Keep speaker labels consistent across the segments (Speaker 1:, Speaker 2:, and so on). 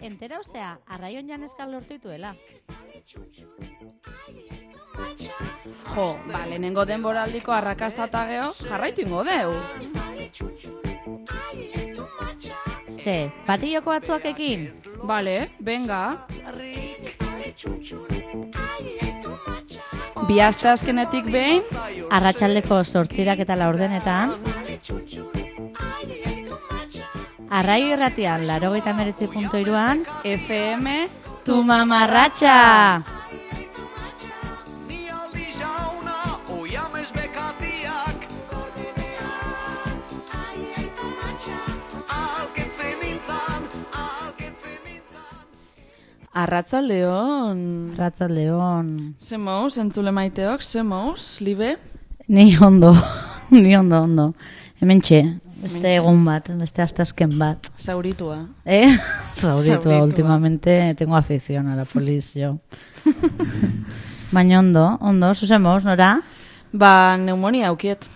Speaker 1: Entera osea, arraion janezkal lortu dituela.
Speaker 2: Jo, lehenengo denboraldiko arrakasta eta geho, jarraitu ingo deu.
Speaker 1: Ze, patilloko batzuakekin?
Speaker 2: Bale, venga. Bi aste azkenetik behin,
Speaker 1: Arratsaldeko 8 eta 4 Arraio irratian, 89.3
Speaker 2: FM,
Speaker 1: tu mamarratxa!
Speaker 2: Arratzaldeon.
Speaker 1: Arratzaldeon.
Speaker 2: Ze mouz, entzule maiteok, ze mouz, libe?
Speaker 1: Ni ondo, ondo. Hementxe, beste egun bat, beste astazken bat.
Speaker 2: Zauritua.
Speaker 1: Zauritua, últimamente tengo afición a la polis, yo. Baina ondo, zuzemos, nora?
Speaker 2: Ba, neumonia aukiet.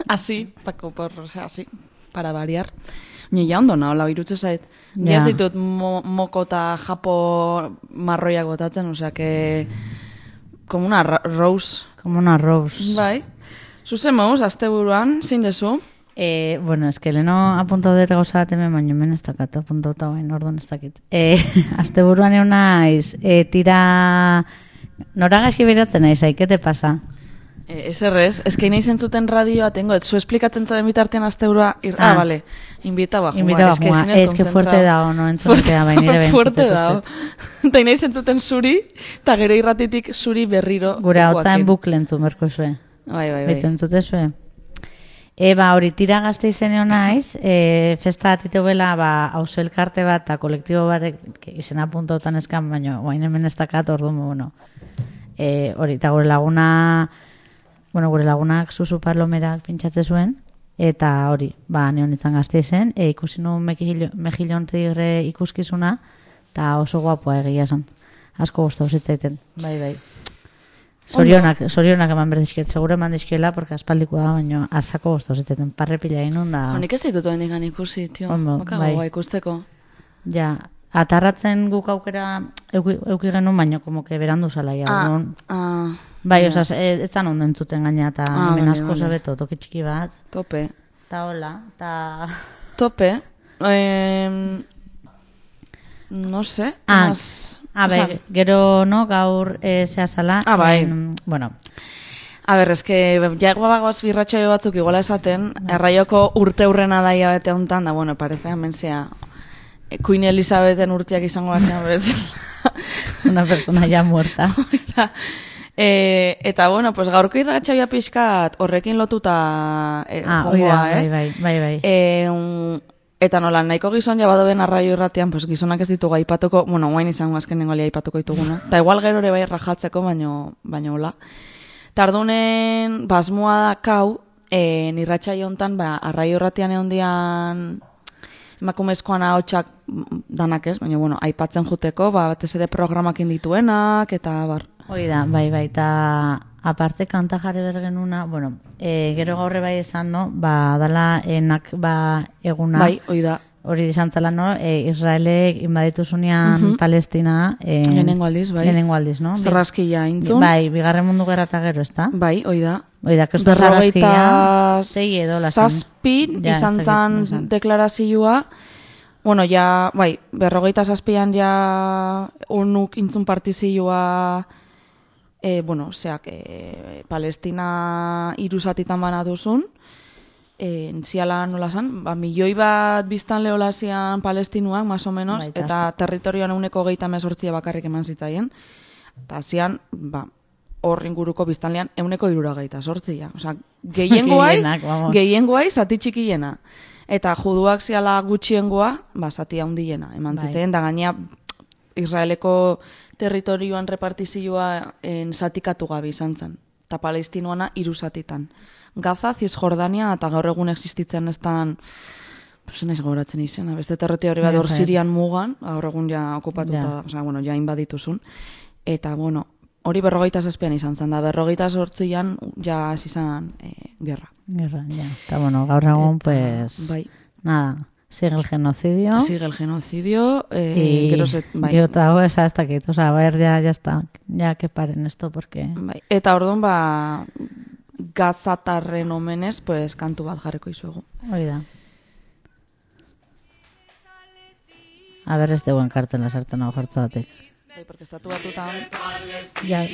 Speaker 2: Así, así, para variar. Ni ja ondo nahola, irutze zait. Ja ditut moko eta japo marroiak botatzen, osea que... Como una rose.
Speaker 1: Como una rose.
Speaker 2: Bai. Zuzemoz, asteburuan, zein dezu?
Speaker 1: Bueno, es que leno apuntau dut gauza bat hemen, baina hemen ez dakat, apuntauta bain, orduan ez dakit. Asteburuan egon naiz, tira... Nora gaizki beratzen naiz, ¿qué te pasa?
Speaker 2: Eserrez, es que nahi zentzuten radioa tengo, zu esplikatzen zaten bitartean asteburua, vale, invitaba
Speaker 1: Invitaba Juan, es que fuerte dago, no entzutea bain nire behin.
Speaker 2: Fuerte dago. Ta nahi zentzuten zuri, eta gero irratitik zuri berriro.
Speaker 1: Gure hau zain bukle entzun berko zue.
Speaker 2: Bai.
Speaker 1: Bitu entzute zue. Hori tira gazte izeneo naiz, festa atitu bela, hauzo elkarte bat, eta kolektibo batek izena puntautan eskan, baina guain hemen ez dakat, orduan, bueno. Hori, eta gure lagunak Susu Parlomerak pintxatze zuen, eta hori, neon itzan gazte izen, ikusi nuen Mejillon Tigre ikuskizuna, eta oso guapoa egia esan. Asko guztau zitzaiten, bai. Zorionak eman berdizkiet, seguro eman dizkiela, porque aspaldikoa da, baina azako guztau zitzaiten, parrepila inun da...
Speaker 2: Honik ez ditut oen digan ikusi, tio, bakagoa ikusteko.
Speaker 1: Ja, atarratzen guk aukera euki genuen, baina como que berandu zala ja. Bai, osaz, ez da ondo entzuten gaina, eta hemen asko zabeto, toki txiki bat.
Speaker 2: Tope.
Speaker 1: Ta hola, ta...
Speaker 2: Tope. No sé.
Speaker 1: Gero, no, gaur zehazala.
Speaker 2: Bai.
Speaker 1: Bueno.
Speaker 2: A ber, eske, jagoa bagoaz birratxaio batzuk iguala esaten, erraioko urte hurrena daia bete hontan, da, bueno, parece hemen zea, Queen Elizabethen urteak izango batzen,
Speaker 1: Una persona ya muerta.
Speaker 2: Eta, bueno, pues gaurko irratxaioa pixkat horrekin lotuta gongoa, ez?
Speaker 1: Bai.
Speaker 2: Eta nola, nahiko gizon jabadoben arraio irratian, pues gizonak ez ditugu aipatuko, bueno, guain izango azkenengo ali aipatuko dituguna. Eta igual gero ere bai rajatzeko, baino hola. Tardunen, basmoa da kau, nirratxaio hontan, arraio irratian egon dian emakumezkoan ahotsak danak ez, baina, bueno, aipatzen juteko, batez ere programakin dituenak, eta bar.
Speaker 1: Hoi da, bai, eta aparte kanta jarri bergenuna, bueno, gero gaurre bai esan, no, dala enak, eguna.
Speaker 2: Bai, hoi da.
Speaker 1: Hori izantzala, no, Israelek inbaditu zunean Palestina.
Speaker 2: Lehenengo aldiz, bai.
Speaker 1: Lehenengo aldiz, no?
Speaker 2: Zarrazkia intzun.
Speaker 1: Bai, bigarren mundu gerra eta gero, ez da?
Speaker 2: Bai, hoi da.
Speaker 1: Hoi da, kestu zarrazkia.
Speaker 2: Zazpin izan zan deklarazioa. Bueno, ja, bai, 57an ja unuk intzun partizioa, bueno, zeak, Palestina iruzatitan banatuzun. Ziala nola zan, milioi bat biztan leolazian palestinuak, más o menos, eta territorioan 128 bakarrik eman zitzaien. Eta zian, hor inguruko biztanlean 168. Osa, gehiengoai zati txikiena. Eta juduak ziala gutxiengoa, zati handiena eman zitzaien, da gainea Israeleko territorioan repartizioa zatikatu gabe izan zen. Eta palestinuana 3 zatitan. Gaza, Cisjordania, eta gaur egun existitzen estan, naiz gauratzen izena, beste territorio bat hor Sirian mugan, gaur egun ja okupatuta da, osea, bueno, ja inbadituzun. Eta, bueno, hori 57an izan zen, da 58an ja izan gerra.
Speaker 1: Gerra, ja. Eta, bueno, gaur egun, pues,
Speaker 2: bai.
Speaker 1: Nada, Sigue el genocidio.
Speaker 2: Sigue el genocidio.
Speaker 1: Bai. Gero eta hau esa ez dakit. O sea, ya está. Ya que paren esto, porque...
Speaker 2: Bai. Eta orduan, gazatarren omenez, pues, kantu bat jarriko izuegu.
Speaker 1: Hori da. A ber, ez deguen kartzen lasartzen hau jartza batek.
Speaker 2: Bai, porque estatu batutan...
Speaker 1: Ja.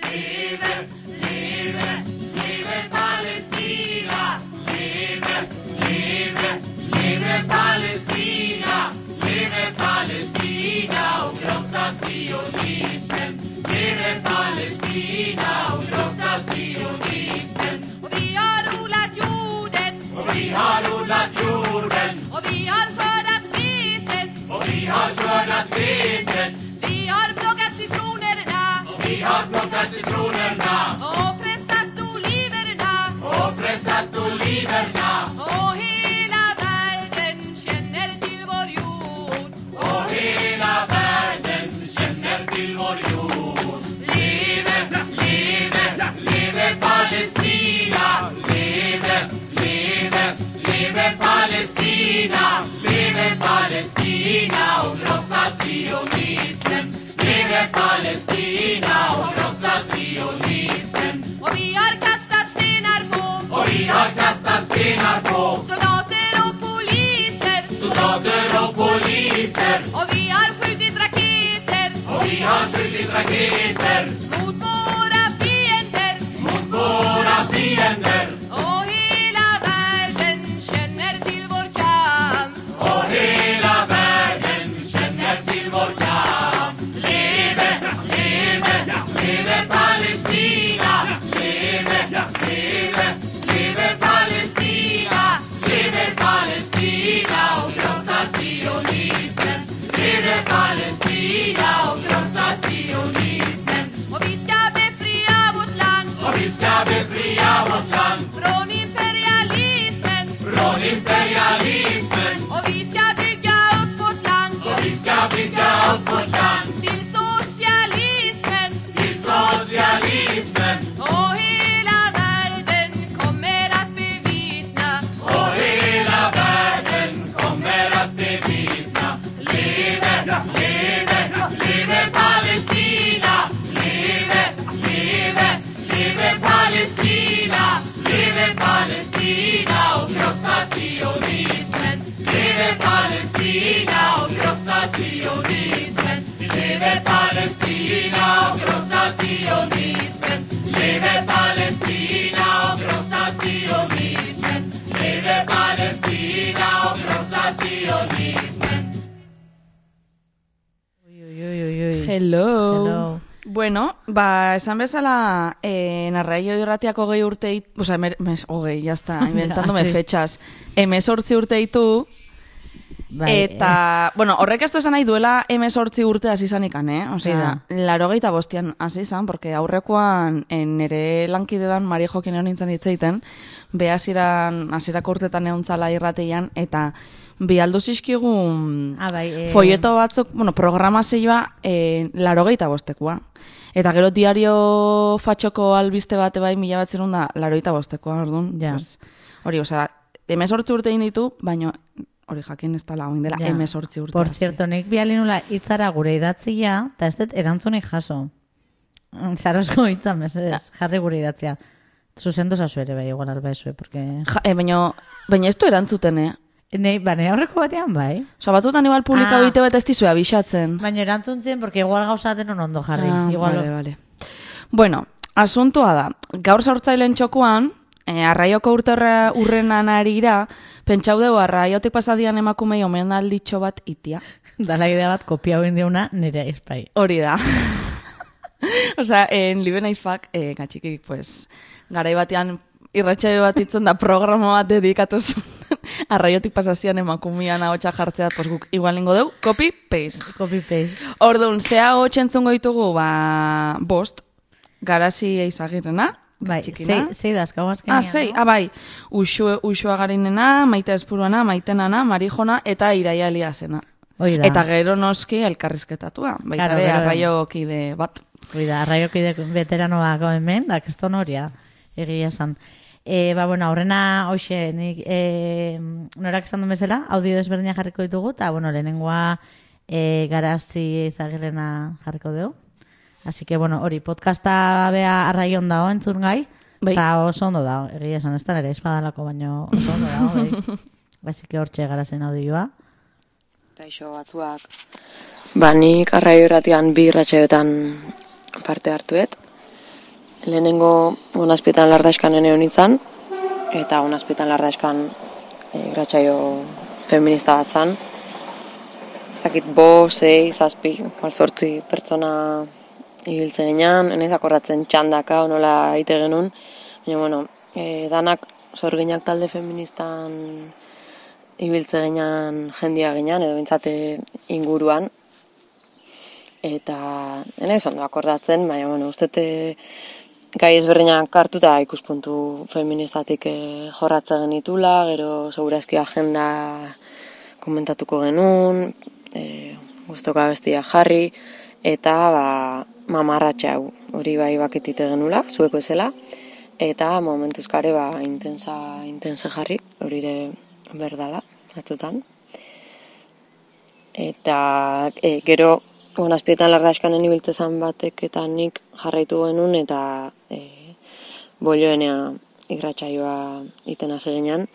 Speaker 3: Liebe, liebe, liebe Palästina, liebe, liebe, liebe Palästina, liebe Palästina, o großer Zionismen, liebe Palästina, o großer Zionismen. Och vi har odlat jorden, och vi har odlat jorden, och vi har skördat vetet, och vi har skördat vetet, vi har plockat citronerna, och vi har plockat citronerna, och pressat oliverna, och pressat oliverna, och hela världen känner till vår jord, och hela världen känner till vår jord. Leve, leve, leve Palestina, leve, leve, leve Palestina, leve Palestina och krossa sionismen, leve Palestina och krossa sionismen. Och vi har kastat stenar på, och vi har kastat stenar på soldater och poliser, soldater och poliser, och vi har skjutit raketer, och vi har skjutit raketer mot våra fiender, mot våra fiender. Och hela världen känner till vår kamp, och hela världen känner till vår kamp. Leve, leve, leve Palestina, leve, leve, leve Palestina, leve Palestina och krossa sionismen, leve Palestina och krossa sionismen. Och vi ska befria vårt land, och vi ska befria vårt land från imperialismen, från imperialismen. Och vi ska bygga upp vårt land, och vi ska bygga upp vårt land till socialismen, till socialismen. Och hela världen kommer att bevittna, och hela världen kommer att bevittna. Leve, leve, leve Palestina, leve, leve, leve Palestina, leve Palestina och krossa sionismen, leve Palestina och krossa sionismen, leve Palestina och krossa sionismen, leve Palestina och krossa sionismen, leve Palestina och krossa sionismen.
Speaker 2: Hello. Bueno, esan bezala, narraio irratiako 20 urte, o sea, ya está, inventándome fechas, 18 urte ditu, eta, bueno, horrek ez du esan nahi duela 18 urte hasi izanikan, O sea, 85 hasi izan, porque aurrekoan nere lankidedan Mari Jokin egon nintzen hitzeiten, hasierako urtetan egontzala irrateian, eta bi aldu zizkigun folleto batzuk, bueno, programazioa 85koa. Eta gero diario fatxoko albiste bate bai 1985koa, orduan.
Speaker 1: Ja.
Speaker 2: Pues, hori, osea, 18 urte ditu, baina hori jakin ez dela, oin dela 18 urte.
Speaker 1: Por cierto, nik bialinula hitzara gure idatzia, eta ez dut erantzunik jaso. Sarosko hitza, mesedez, jarri gure idatzia. Zuzendu zazu ere, bai, igual alba ezue, porque...
Speaker 2: Baina ez du erantzuten,
Speaker 1: Bane, aurreko batean, bai.
Speaker 2: Osa, batzutan igual publika bite bat ez dizue abixatzen.
Speaker 1: Baina erantzuntzen, porque igual gauzaten ondo jarri.
Speaker 2: Vale. Bueno, asuntoa da. Gaur zaurtzailen txokoan, arraioko urrenan arira, pentsau dugu arraiotik pasadian emakumei omenalditxo bat itia.
Speaker 1: Dala idea bat kopia hoin diuna nire espai.
Speaker 2: Hori da. Osea, en Libe Naizfak, gatxikik, pues, garai batean irratsaio bat itzen da programa bat dedikatuz arraiotik pasazian emakumian ahotsa jartzea, pues guk igual lingo deu, copy-paste.
Speaker 1: Copy-paste.
Speaker 2: Orduan, zea hotxentzungo ditugu, 5, Garazi Eizagirrena,
Speaker 1: bai,
Speaker 2: txikina.
Speaker 1: 6 dazkau azkenean.
Speaker 2: 6, bai, Uxua Garinena, Maite Espuruana, Maitenana, Marijona, eta Iraia Eliasena.
Speaker 1: Oida.
Speaker 2: Eta gero noski elkarrizketatua, baitare arraiokide bat.
Speaker 1: Oida, arraiokide veteranoak hemen, da, keston horia, egia esan. Bueno, aurrena, hoxe, nik norak esan duen bezala, audio desberdinak jarriko ditugu, eta, bueno, lehenengoa Garazi Izagirrena jarriko dugu. Así que, bueno, hori, podcasta bea arraion dago entzun gai, eta oso ondo dago, egia esan, ez da nire espadalako, baino oso ondo dago, bai. Basiki hortxe Garazen audioa.
Speaker 4: Kaixo batzuak. Nik arraio irratian 2 irratsaioetan parte hartuet. Lehenengo Onazpietan Lardaskan ene honitzan, eta Onazpietan Lardaskan irratsaio feminista bat zan. Zakit 5, 6, 7, 8 pertsona ibiltzen ginean, enez akordatzen txandaka, onola ite genuen. Baina, bueno, danak sorginak talde feministan ibiltzen ginean jendia ginean, edo bintzate inguruan. Eta, enez ondo akordatzen, baina, bueno, ustete gai ezberdinak hartuta ikuspuntu feministatik jorratze genitula, gero segurazki agenda komentatuko genuen, guztoka bestia jarri, eta mamarratxe hau hori bai baketite genula, zueko ezela, eta momentuzkare intensa jarri, hori ere berdala, batzutan. Eta gero Onazpietan Lardazkanen ibiltzezan batek eta nik jarraitu genuen, eta bolioenea irratsaioa iten hasi ginean,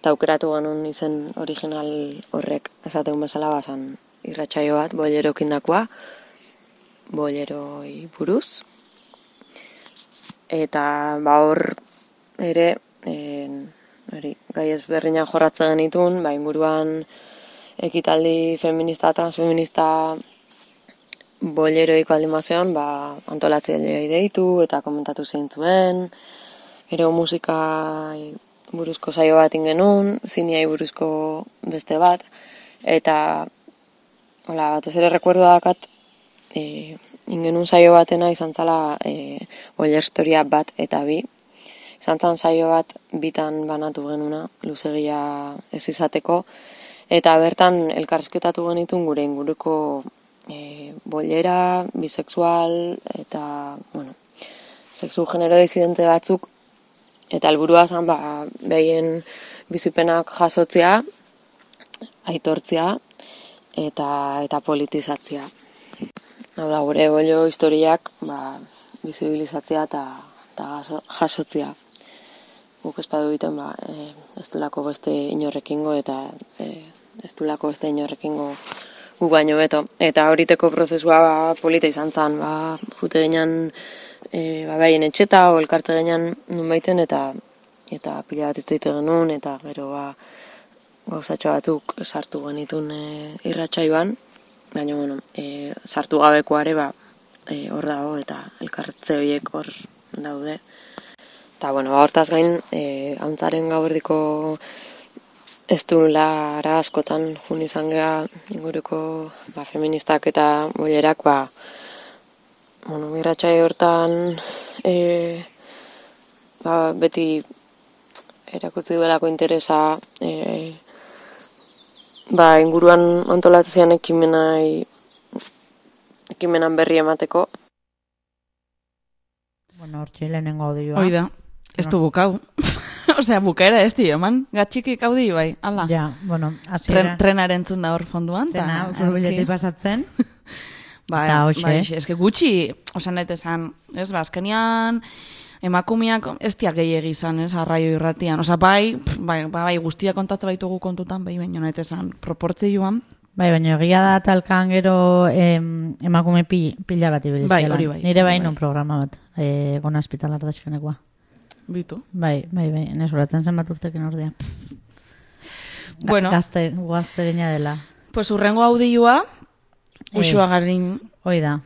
Speaker 4: eta aukeratu genuen izen original horrek, esateun bezala bazan irratsaio bat, bolerokindakoa, boleroi buruz. Eta hor ere, gai ezberdinak jorratzen genitun, inguruan ekitaldi feminista, transfeminista boleroiko aldimazean, antolatzailea deitu eta komentatu zeintzuen, gero musika buruzko saio bat ingenun, ziniai buruzko beste bat, eta batez ere rekuerdo dakat, ingenun saio batena izan zala boiler historia bat eta 2. Izan zan saio bat bitan banatu genuna, luzegia ez izateko, eta bertan elkarrizketatu genitun gure inguruko boilera, bisexual, eta, bueno, sexu genero disidente batzuk, eta helburua zan, behien bizipenak jasotzea, aitortzea, eta politizatzea. Hau da, gure boilo historiak bizibilizatzea eta jasotzea. Guk espadu egiten, ez dulako beste inorrekingo, eta ez dulako beste inorrekingo gu baino beto. Eta horiteko prozesua polita izan zen, jute ginean behien etxeta, o elkarte ginean nun baiten, eta pila bat izteite genuen, eta gero gauzatxo batzuk sartu genitun irratsaioan, baina, bueno, sartu gabekoare hor dago, eta elkartze horiek hor daude. Eta, bueno, hortaz gain, hauntzaren gauerdiko ez dulara askotan jun izan geha inguruko feministak eta bolerak, irratsaio hortan beti erakutsi duelako interesa inguruan antolatzean ekimenan berri emateko.
Speaker 1: Bueno, hortxe lehenengo audioa.
Speaker 2: Oida, ez du bukau. Osea, bukaera ez dio, eman, gatxikik audi bai, ala.
Speaker 1: Ja, bueno,
Speaker 2: Trenaren entzun da hor fonduan.
Speaker 1: Trena, urbiletik pasatzen.
Speaker 2: Eske gutxi, osan nahi esan, ez, azkenian, emakumeak ez diak gehiagi izan, ez, arraio irratian. Osa, bai, guztia kontatzen baitugu kontutan, baina nahi esan, proportzioan.
Speaker 1: Baina egia da talkan gero emakume pila bat ibiliziela.
Speaker 2: Bai, hori bai.
Speaker 1: Nire non programa bat, Onazpietan Lardazkanekoa.
Speaker 2: Bitu.
Speaker 1: Bai, nesuratzen zen bat urtekin ordea.
Speaker 2: Bueno.
Speaker 1: Gazte gina dela.
Speaker 2: Pues urrengo audioa, usua garin.
Speaker 1: Hoi da,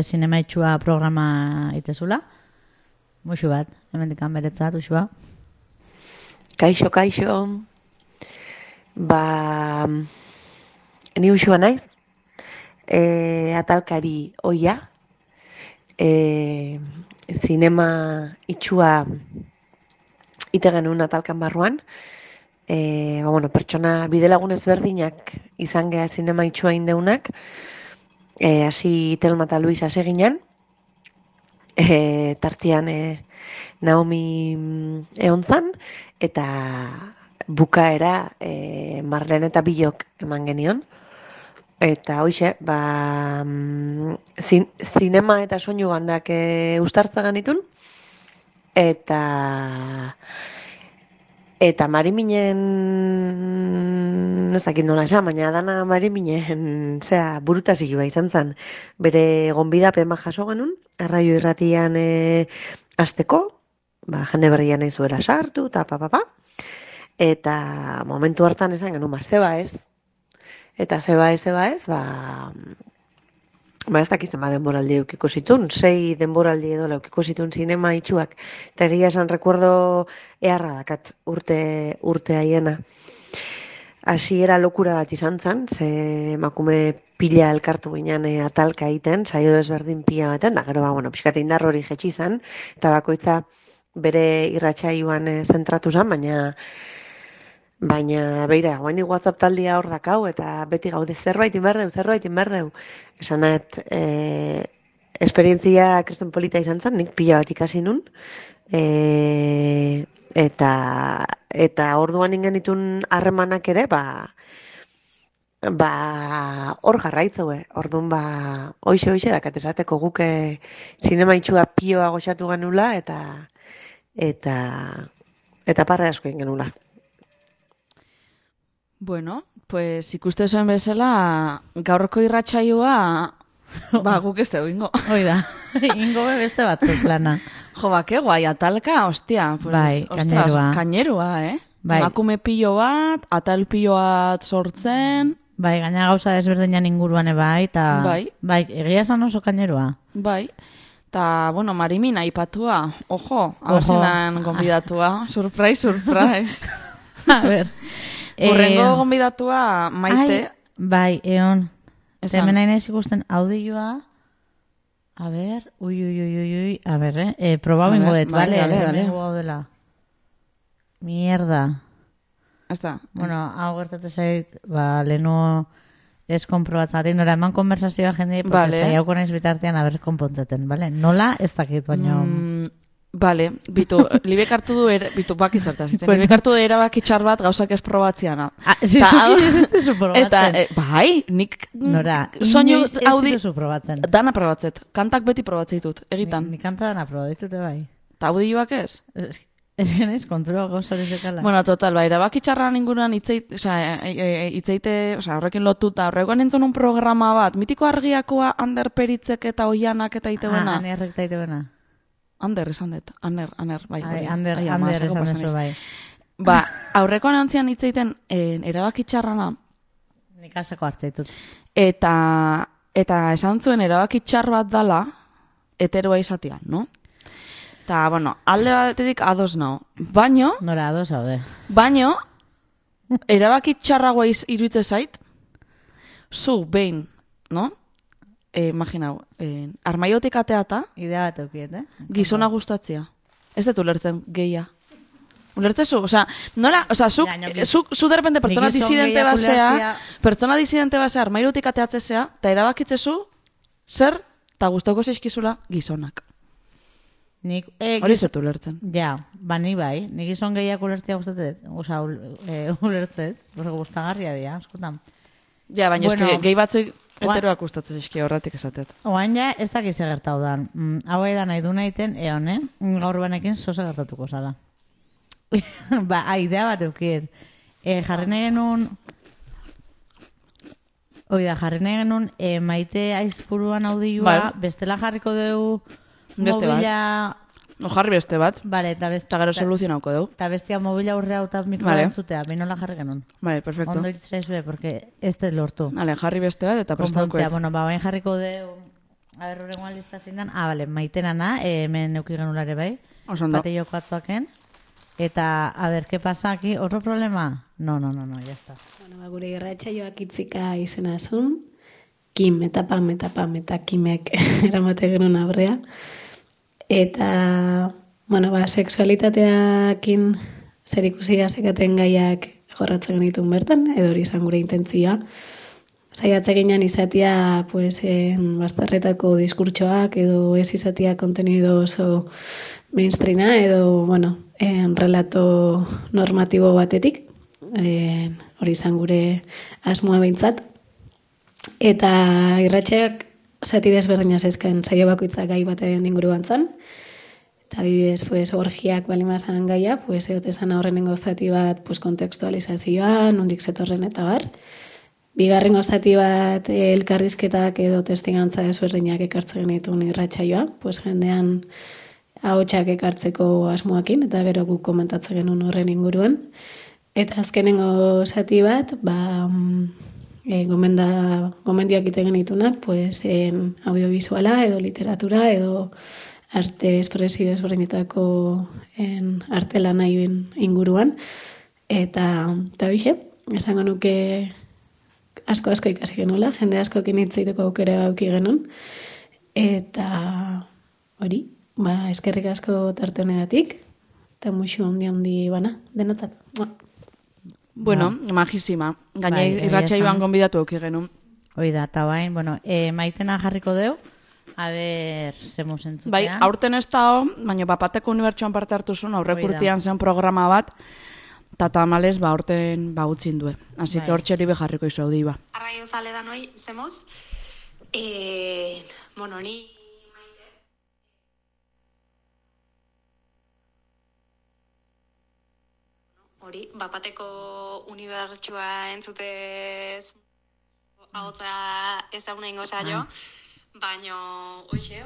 Speaker 1: zinema itxua programa itezula. Muxu bat, hemendikan beretzat, usua.
Speaker 5: Kaixo. Ni usua naiz. Atalkari oia. Zinema itxua ite genuen atalkan barruan. Pertsona bidelagun ezberdinak izan geha zinema itxua indeunak. Hasi Telma eta Luis hasi ginen. Tartian Naomi egon zan, eta bukaera Marlene eta Bilok eman genion. Eta hoxe, zinema eta soinu bandak ustartza ganitun, eta Mariminen, ez dakit nola esan, baina dana Mariminen, burutasikoa izan zen, bere gonbidapen jaso genuen, Arraio Irratian hasteko, jende berrian nahi zuela sartu, eta momentu hartan esan genuen, zeba ez, eta zeba ez, ez dakitzen denboraldi eukiko zitun, 6 denboraldi edo eukiko zitun zinema itxuak, eta egia esan rekuerdo eharra dakat urte haiena. Hasiera lokura bat izan zen, ze emakume pila elkartu ginen atalka egiten, saio desberdin pila baten, da gero pixkate indar hori jetxi zen, eta bakoitza bere irratsaioan zentratu zen, baina beira, guaini WhatsApp taldia hor dakau, eta beti gaude zerbait inberdeu. Esanat, esperientzia kriston polita izan zen, nik pila bat ikasi nun, eta orduan ingenitun harremanak ere, hor jarraitzeue. Orduan, hoxe dakat esateko guke zinema itxua pioa goxatu genula, eta parre asko genula.
Speaker 2: Bueno, pues ikuste zuen bezala, gaurko irratsaioa, guk ez dugu ingo.
Speaker 1: Oida, ingo beste batzuk plana.
Speaker 2: Jo, ke guai, atalka, ostia. Pues,
Speaker 1: Bai,
Speaker 2: kainerua,
Speaker 1: Bai.
Speaker 2: Emakume pilo bat, atal pilo bat sortzen.
Speaker 1: Bai, gaina gauza desberdinan inguruan bai, eta
Speaker 2: bai,
Speaker 1: egia esan oso kainerua.
Speaker 2: Bai, eta, bueno, Marimin aipatua, ojo, abertzenan gonbidatua, surprise.
Speaker 1: A ber.
Speaker 2: Urrengo gonbidatua Maite.
Speaker 1: Bai, eon. Hemen nahi nahiz ikusten audioa. A ber, ui. A ber, probau ingo dut, bale? Dale. Mierda.
Speaker 2: Ezta.
Speaker 1: Bueno, hau gertate zait, lehenu ez konprobatzatik, nora eman konversazioa jende, porque zaiauko nahiz bitartean aber konpontzeten, bale? Nola ez dakit, baino...
Speaker 2: Bale, libek hartu du, baki zertazitzen, libek hartu du erabaki txar bat gauzak ez probatziana.
Speaker 1: Zizuki ez dizu probatzen.
Speaker 2: Eta, bai, nik...
Speaker 1: Nora,
Speaker 2: inoiz
Speaker 1: ez dizu probatzen.
Speaker 2: Dana probatzet, kantak beti probatzeitut, egitan.
Speaker 1: Ni kanta dana probatzetute bai.
Speaker 2: Ta audioak ez?
Speaker 1: Ez genez, kontura gauza hori zekala.
Speaker 2: Bueno, total, erabaki txarran inguruan itzeite, horrekin lotuta, horrekoan entzun un programa bat, mitiko argiakoa Ander Peritzek eta Oianak eta itebuena.
Speaker 1: Anerrek eta itebuena.
Speaker 2: Ander esan dut, Ander, bai.
Speaker 1: Ander esan dezu, bai.
Speaker 2: Aurrekoan antzian itzeiten erabaki txarrana.
Speaker 1: Nik asako hartzeitut.
Speaker 2: Eta esan zuen erabaki txar bat dala, heteroa izatean, no? Eta, bueno, alde batetik ados nao. Baino...
Speaker 1: Nora, ados haude.
Speaker 2: Baino, erabaki txarragoa iruitze zait, zu, behin, no? Imaginau, armaiotik ateata...
Speaker 1: Idea bat eukiet,
Speaker 2: Gizona gustatzea. Ez dut ulertzen gehia. Ulertzezu? Osa, nola, zu derrepente pertsona disidente basea, armairutik ateatzea, eta erabakitzezu, zer, eta gustauko zeizkizula gizonak. Hori ez dut ulertzen.
Speaker 1: Ja, nik bai. Nik gizon gehiak ulertzea gustatzet. Osa, ulertzet. Gustagarria dira, askotan.
Speaker 2: Ja, baina eski gehi batzuik heteroak gustatzen eski horretik esatet.
Speaker 1: Oain ja, ez dakiz egertau dan. Hau da nahi du nahiten, gaur banekin zoze gertatuko zala. Idea bat eukiet. Jarri nahi genuen... jarri nahi genuen Maite Aizpuruan audioa, bestela jarriko dugu mobila...
Speaker 2: Jarri beste bat.
Speaker 1: Vale,
Speaker 2: eta gero soluzionauko dugu.
Speaker 1: Eta bestia mobila urrea eta mikroa entzutea, binola jarri genuen.
Speaker 2: Vale, perfecto.
Speaker 1: Ondo itzizue, porque ez te lortu.
Speaker 2: Vale, jarri beste bat eta prestauko.
Speaker 1: Bueno, bain jarriko dugu... A ber, horrengoan lista zindan. Vale, Maitenana, hemen neuki genulare bai.
Speaker 2: Osondo.
Speaker 1: Bate joko atzuaken. Eta, a ber, ¿qué pasa aquí? ¿Otro problema? No, ya está.
Speaker 6: Bueno, gure irratsaioak itzika izena zun. Kim, eta Kimek eramate genuen abrea. Eta, bueno, sexualitateakin zer ikusia zekaten gaiak jorratzen genitun bertan, edo hori izan gure intentzioa. saiatze ginen izatea pues, bazterretako diskurtsoak edo ez izatea kontenido oso mainstreama edo, bueno, relato normatibo batetik, hori izan gure asmoa behintzat. Eta irratxeak zati desberdina zezken saio bakoitzak gai baten inguruan zan. Eta adibidez, pues, orgiak balimazan gaia, pues, egotesan horrenengo zati bat pues, kontekstualizazioa, nondik zetorren eta bar. Bigarrengo zati bat elkarrizketak edo testigantza desberdinak ekartzen genituen irratsaioa, pues, jendean ahotsak ekartzeko asmoakin, eta gero guk komentatzen genuen horren inguruan. Eta azkenengo zati bat, gomendioak ite genitunak, pues, audiovisuala edo literatura edo arte espresio desberdinetako arte lanaien inguruan. Eta bixe, esango nuke asko ikasi genuela, jende askokin hitz egiteko aukera auki genuen. Eta hori, eskerrik asko tarte honegatik, eta muxu handi bana, denotzat.
Speaker 2: Bueno, majísima. Gaina irratsaioan gonbidatu auki genuen.
Speaker 1: Hoi da, eta bain, Maitena jarriko deu, a ber, zemu zentzutean.
Speaker 2: Bai, aurten ez da, baina Bapateko Unibertsuan parte hartu zuen, aurrek urtean zen programa bat, eta tamales aurten utzin due. Así que hor txeri bejarriko izu haudi ba.
Speaker 7: Arraio zale da noi, zemuz. Bueno, ni maite. Hori, Bapateko Unibertsua entzutez ahotza ezaguna ingo zaio. Baina, hoxe,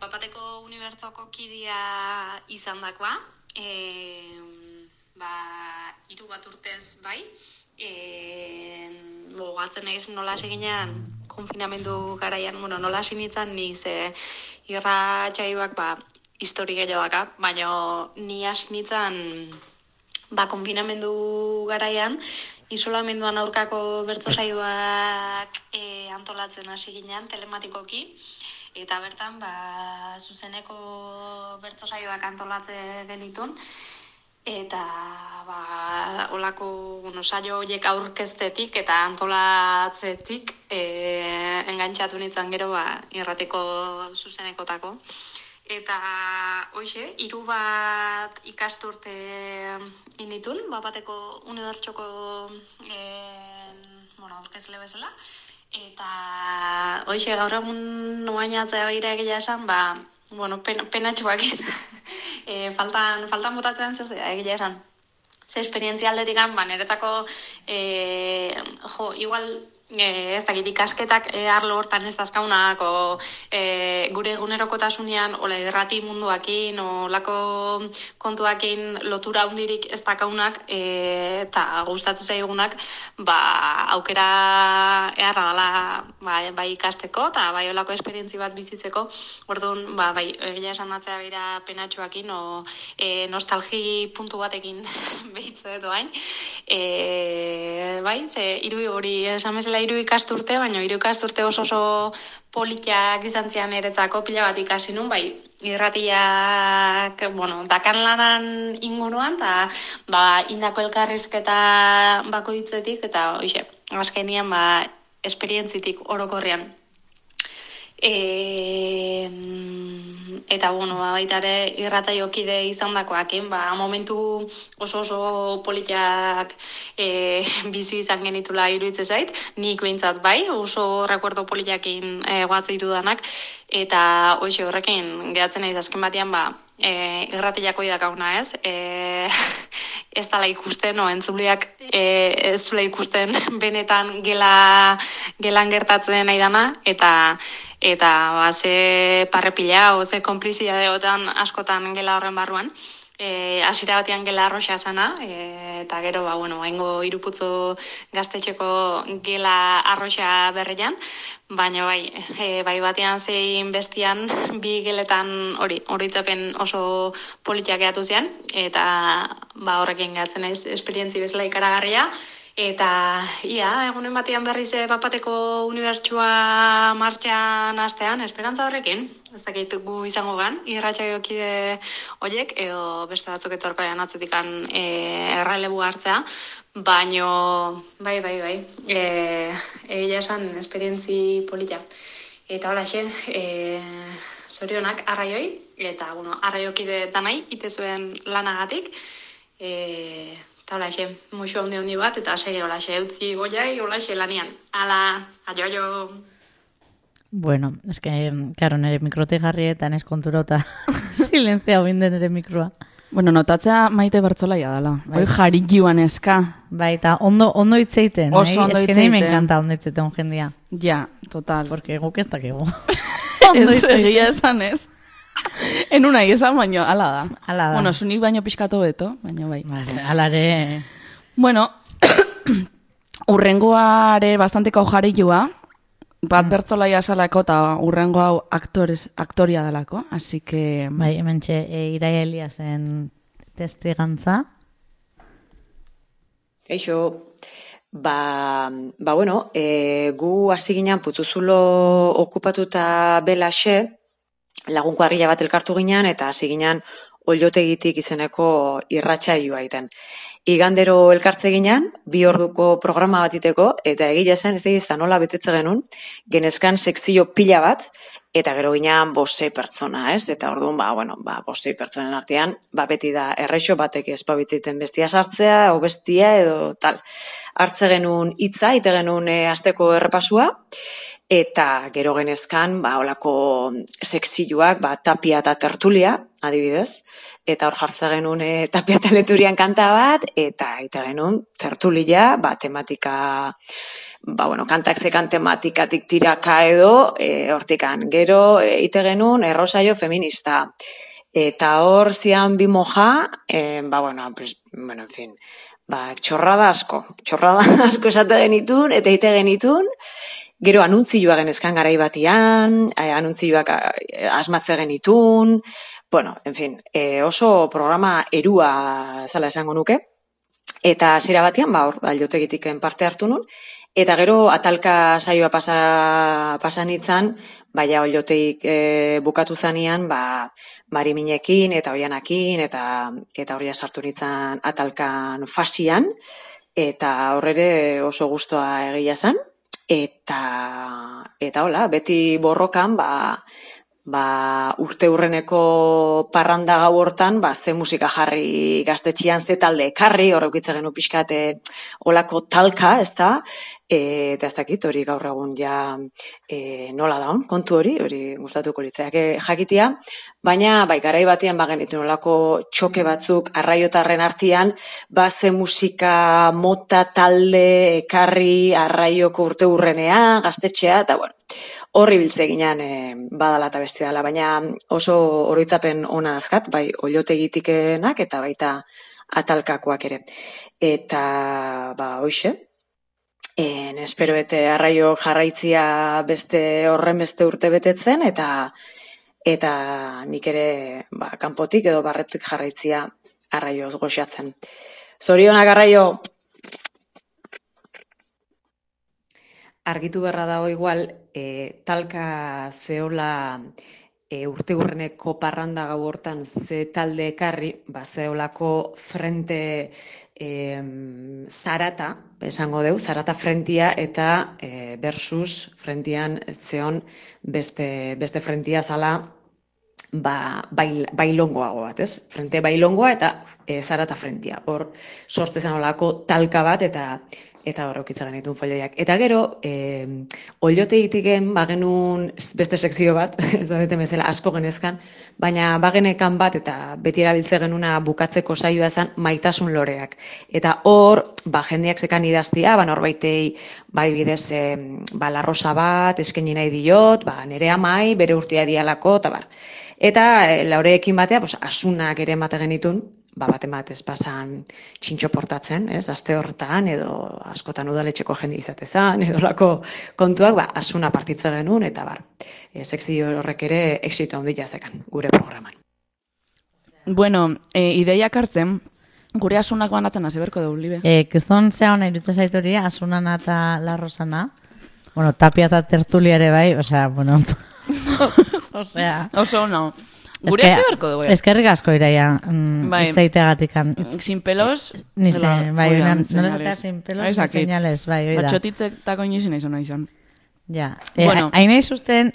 Speaker 7: Bapateko Unibertsoko kidea izan dakoa. 3 bat urtez bai. Gogatzen naiz nola seginean konfinamendu garaian, nola sinitzen ni ze irratsaioak histori gehiago daka, baina ni hasi nintzen konfinamendu garaian isolamenduan aurkako bertso saioak antolatzen hasi ginean telematikoki. Eta bertan, zuzeneko bertso saioak antolatzen genitun. Eta, olako, saio horiek aurkeztetik eta antolatzetik engantxatu nintzen gero, irrateko zuzenekotako. Eta, hoxe, 3 bat ikasturte initun, Bapateko Unibertsoko aurkezle bezala. Eta, hoxe, gaur egun noainatzea behira egia esan, penatxoak faltan botatzen zuzea egia esan. Ze esperientzia aldetik niretako, igual, ez dakit ikasketak arlo hortan ez dazkaunak, gure egunerokotasunean, irrati munduakin, olako kontuakin lotura hundirik ez dakaunak, eta gustatzen zaigunak, aukera eharra dela bai ikasteko, eta bai olako esperientzi bat bizitzeko, orduan, egia esan matzea bera penatxoakin, nostalgi puntu batekin behitze edo hain. Ze, hori esan bezala 3 ikasturte, baina 3 ikasturte oso politiak izan zian eretzako pila bat ikasi nun, irratiak, dakan lanan inguruan, eta indako elkarrizketa bakoitzetik, eta hoxe, azkenian esperientzitik orokorrean. Eta, baita ere irrataiokide izan dakoakin, momentu oso politiak bizi izan genitula iruditzen zait, nik behintzat oso rekuerdo politiakin guatzeitu danak, eta hoxe horrekin gehatzen naiz azken batean, irratiako idakauna ez, ez dala ikusten, entzuleak ez dula ikusten benetan gelan gertatzen nahi dana, eta ze parrepila, ze konplizidadeotan askotan gela horren barruan. Hasiera batean gela arroxa zana, eta gero, haingo iruputzo gaztetxeko gela arroxa berrian, baina bai batean zein bestian bi geletan horitzapen oso politiak gehiatu zian, eta horrekin gehatzen naiz esperientzi bezala ikaragarria, Eta, egunen batean berriz Bapateko unibertsua martxan hastean, esperantza horrekin, ez dakit gu izango gan, irratsaioakide horiek, edo beste batzuk etorkoaren atzetikan errelebu hartzea, baino, bai, egia esan, esperientzi polita. Eta holaxe, zorionak arraioi, eta, arraiokide danai, ite zuen lanagatik, eta holaxe, musu handi bat, eta segi holaxe, utzi goiai, holaxe lanian. Ala, aio.
Speaker 1: Bueno, es que, claro, nire mikrotik jarri eta nes konturota silentzia binden nire mikroa.
Speaker 2: Bueno, notatzea Maite Bertzolaia dela. Hoi jarilluan eska.
Speaker 1: Bai, eta ondo hitzeiten.
Speaker 2: Oso ondo
Speaker 1: hitzeiten. Es que nahi me encanta ondo hitzeiten jendia.
Speaker 2: Ja, total.
Speaker 1: Porque guk ez dakigu.
Speaker 2: Ez egia esan ez. Enuna esan baino, ala da.
Speaker 1: Ala da.
Speaker 2: Bueno, zunik baino pixkatu beto, baino bai.
Speaker 1: Alare...
Speaker 2: Bueno, urrengoare bastanteko jarillua, bat Bertzolaia salako eta urrengo hau aktoria dalako, así que...
Speaker 1: Bai, hementxe, Iraia Eliasen testigantza.
Speaker 8: Eixo, bueno, gu hasi ginen Putzuzulo okupatuta belaxe, lagun kuadrilla bat elkartu ginen, eta hasi ginen Ollotegitik izeneko irratsaioa egiten. Igandero elkartze ginen, 2 orduko programa bat iteko, eta egia zen, ez da nola betetze genuen, genezkan sekzio pila bat, eta gero ginen 5 pertsona, ez? Eta orduan, 5 pertsonen artean, beti da errexo batek espabitziten bestia sartzea, o bestia, edo tal. Hartze genuen hitza, ite genuen asteko errepasua, eta gero genezkan, olako sekzioak, tapia eta tertulia, adibidez, eta hor jartze genuen tapia eta leturian kanta bat, eta genuen tertulia, tematika, kantak zekan tematikatik tiraka edo, hortikan. Gero, ite genuen errosaio feminista. Eta hor zian bi moja, en fin, txorrada asko esate genitun, eta ite genitun, gero anuntzioa genezkan garai batian, anuntzioak asmatze genitun, en fin, oso programa erua zala esango nuke, eta zera batian, Ollotegitik parte hartu nun, eta gero atalka saioa pasan itzan, Ollotegik bukatu zanean, Mariminekin eta Oianakin, eta horria sartu nitzan atalkan fasian, eta horrere oso gustoa egia zan, eta hola, beti borrokan, urte hurreneko parranda gau hortan, ze musika jarri gaztetxian, ze talde ekarri, horreukitza genu pixkate olako talka, ez da, eta ez dakit hori gaur egun ja nola daun, kontu hori gustatuko litzeak jakitia, baina garai batean genituen olako txoke batzuk arraiotarren artean, ze musika mota talde ekarri arraioko urte hurrenean, gaztetxea, eta bueno, horri biltze ginen badala eta beste dala, baina oso oroitzapen ona azkat, Ollotegitikenak eta baita atalkakoak ere. Eta, hoxe, espero ete arraio jarraitzia horren beste urte betetzen, eta nik ere kanpotik edo barretuk jarraitzia arraioz goxatzen. Zorionak arraio! Argitu berra dago igual, talka zehola urte hurreneko parranda gau hortan ze talde ekarri, zeholako frente zarata, esango deu, zarata frentia eta versus frentian zeon beste frentia zala bailongoago bat, ez? Frente bailongoa eta zarata frentia. Hor sortzezen olako talka bat eta horrokitza genitun folioiak. Eta gero, Ollotegitiken genuen beste sekzio bat, ez bezala asko genezkan, baina bagenekan bat eta beti erabiltze genuna bukatzeko saioa zen maitasun loreak. Eta hor, jendeak zekan idaztia, norbaitei bidez larrosa bat, eskaini nahi diot, nere amai, bere urtea dialako, eta bar. Eta laureekin batea, asunak ere emate genitun, bat ematez pasan txintxo portatzen, aste hortan, edo askotan udaletxeko jende izatezan, edo lako kontuak, asuna partitze genuen, eta sekzio horrek ere exito handia zekan, gure programan.
Speaker 2: Bueno, ideiak hartzen, Gure asunak banatzen hasi berko dugu, Libe.
Speaker 1: Kriston zea hona irutze zaitori, asunana eta larrosana. Bueno, tapia eta tertulia ere bai, osea, bueno. Osea.
Speaker 2: Oso, no. Gure hasi berko dugu.
Speaker 1: Eskerrik asko iraia, itzaiteagatikan.
Speaker 2: Sin pelos.
Speaker 1: Ni zen, bai, nola zatea sin pelos, sin señales, bai, oida.
Speaker 2: Atxotitzetako inoizin izan.
Speaker 1: Ja, hain nahi zuzten,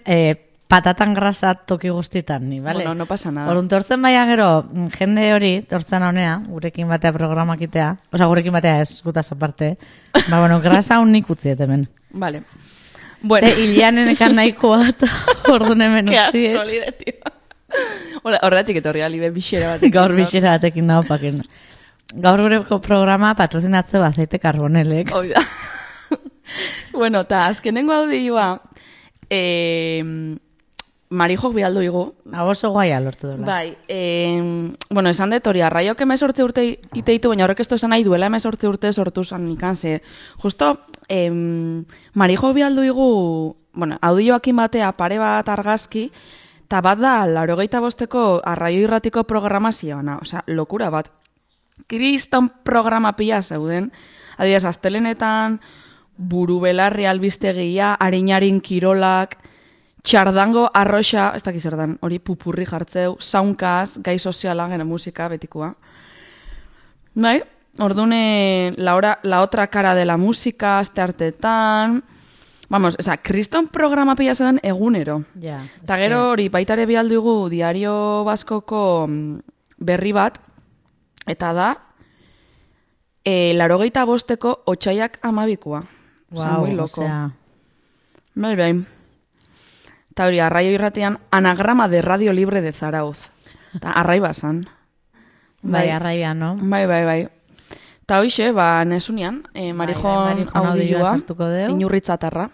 Speaker 1: patatan grasa toki guztitan, ni, bale?
Speaker 2: Bueno, no pasa nada.
Speaker 1: Orduan, tortzen baina gero, jende hori, tortzen honea, gurekin batea programakitea, oza, gurekin batea ez, gutaz aparte, ba, bueno, grasa unik utziet hemen.
Speaker 2: Vale. Bueno.
Speaker 1: Ze, hilianen ekan nahikoa, eta orduan hemen utziet.
Speaker 2: Ke asko, Libe, tio. Horretik etorri, Libe, bixera batekin.
Speaker 1: Gaur bixera batekin nahopakin. Gaur gureko programa patrozinatzeu azeite karbonelek.
Speaker 2: Oida. Bueno, eta azkenengo audioa, Marijok bialdu igu.
Speaker 1: Oso guaia lortu dela.
Speaker 2: Bai, bueno, esan dut hori, arraiok 18 urte iteitu, baina horrek ez esan nahi duela 18 urte sortu zan ikan, ze, justo, Marijok bialdu igu, bueno, audioakin batea pare bat argazki, eta bat da, 85ko arraio irratiko programazioana, osea, lokura bat. Kriston programa pila zeuden, adibidez, astelenetan, buru belarri albistegia, harinarin kirolak, txardango arroxa, ez dakiz erdan, hori pupurri jartzeu, saunkaz, gai soziala, gene musika, betikoa. Bai, ordune, la otra cara de la música, aste hartetan, vamos, esa, kriston programa pila zen egunero.
Speaker 1: Ja.
Speaker 2: Eta gero hori, baitare bialdugu Diario Baskoko berri bat, eta da, 85ko otsaiak 12koa.
Speaker 1: Wow,
Speaker 2: muy loco.
Speaker 1: Osea.
Speaker 2: Bai. Eta hori, arraio irratean, anagrama de Radio Libre de Zarauz. Eta arraiba zan.
Speaker 1: Bai, arraia, no?
Speaker 2: Bai. Eta hoxe, ba, nesunian, Marijon audioa, inurritzatarra.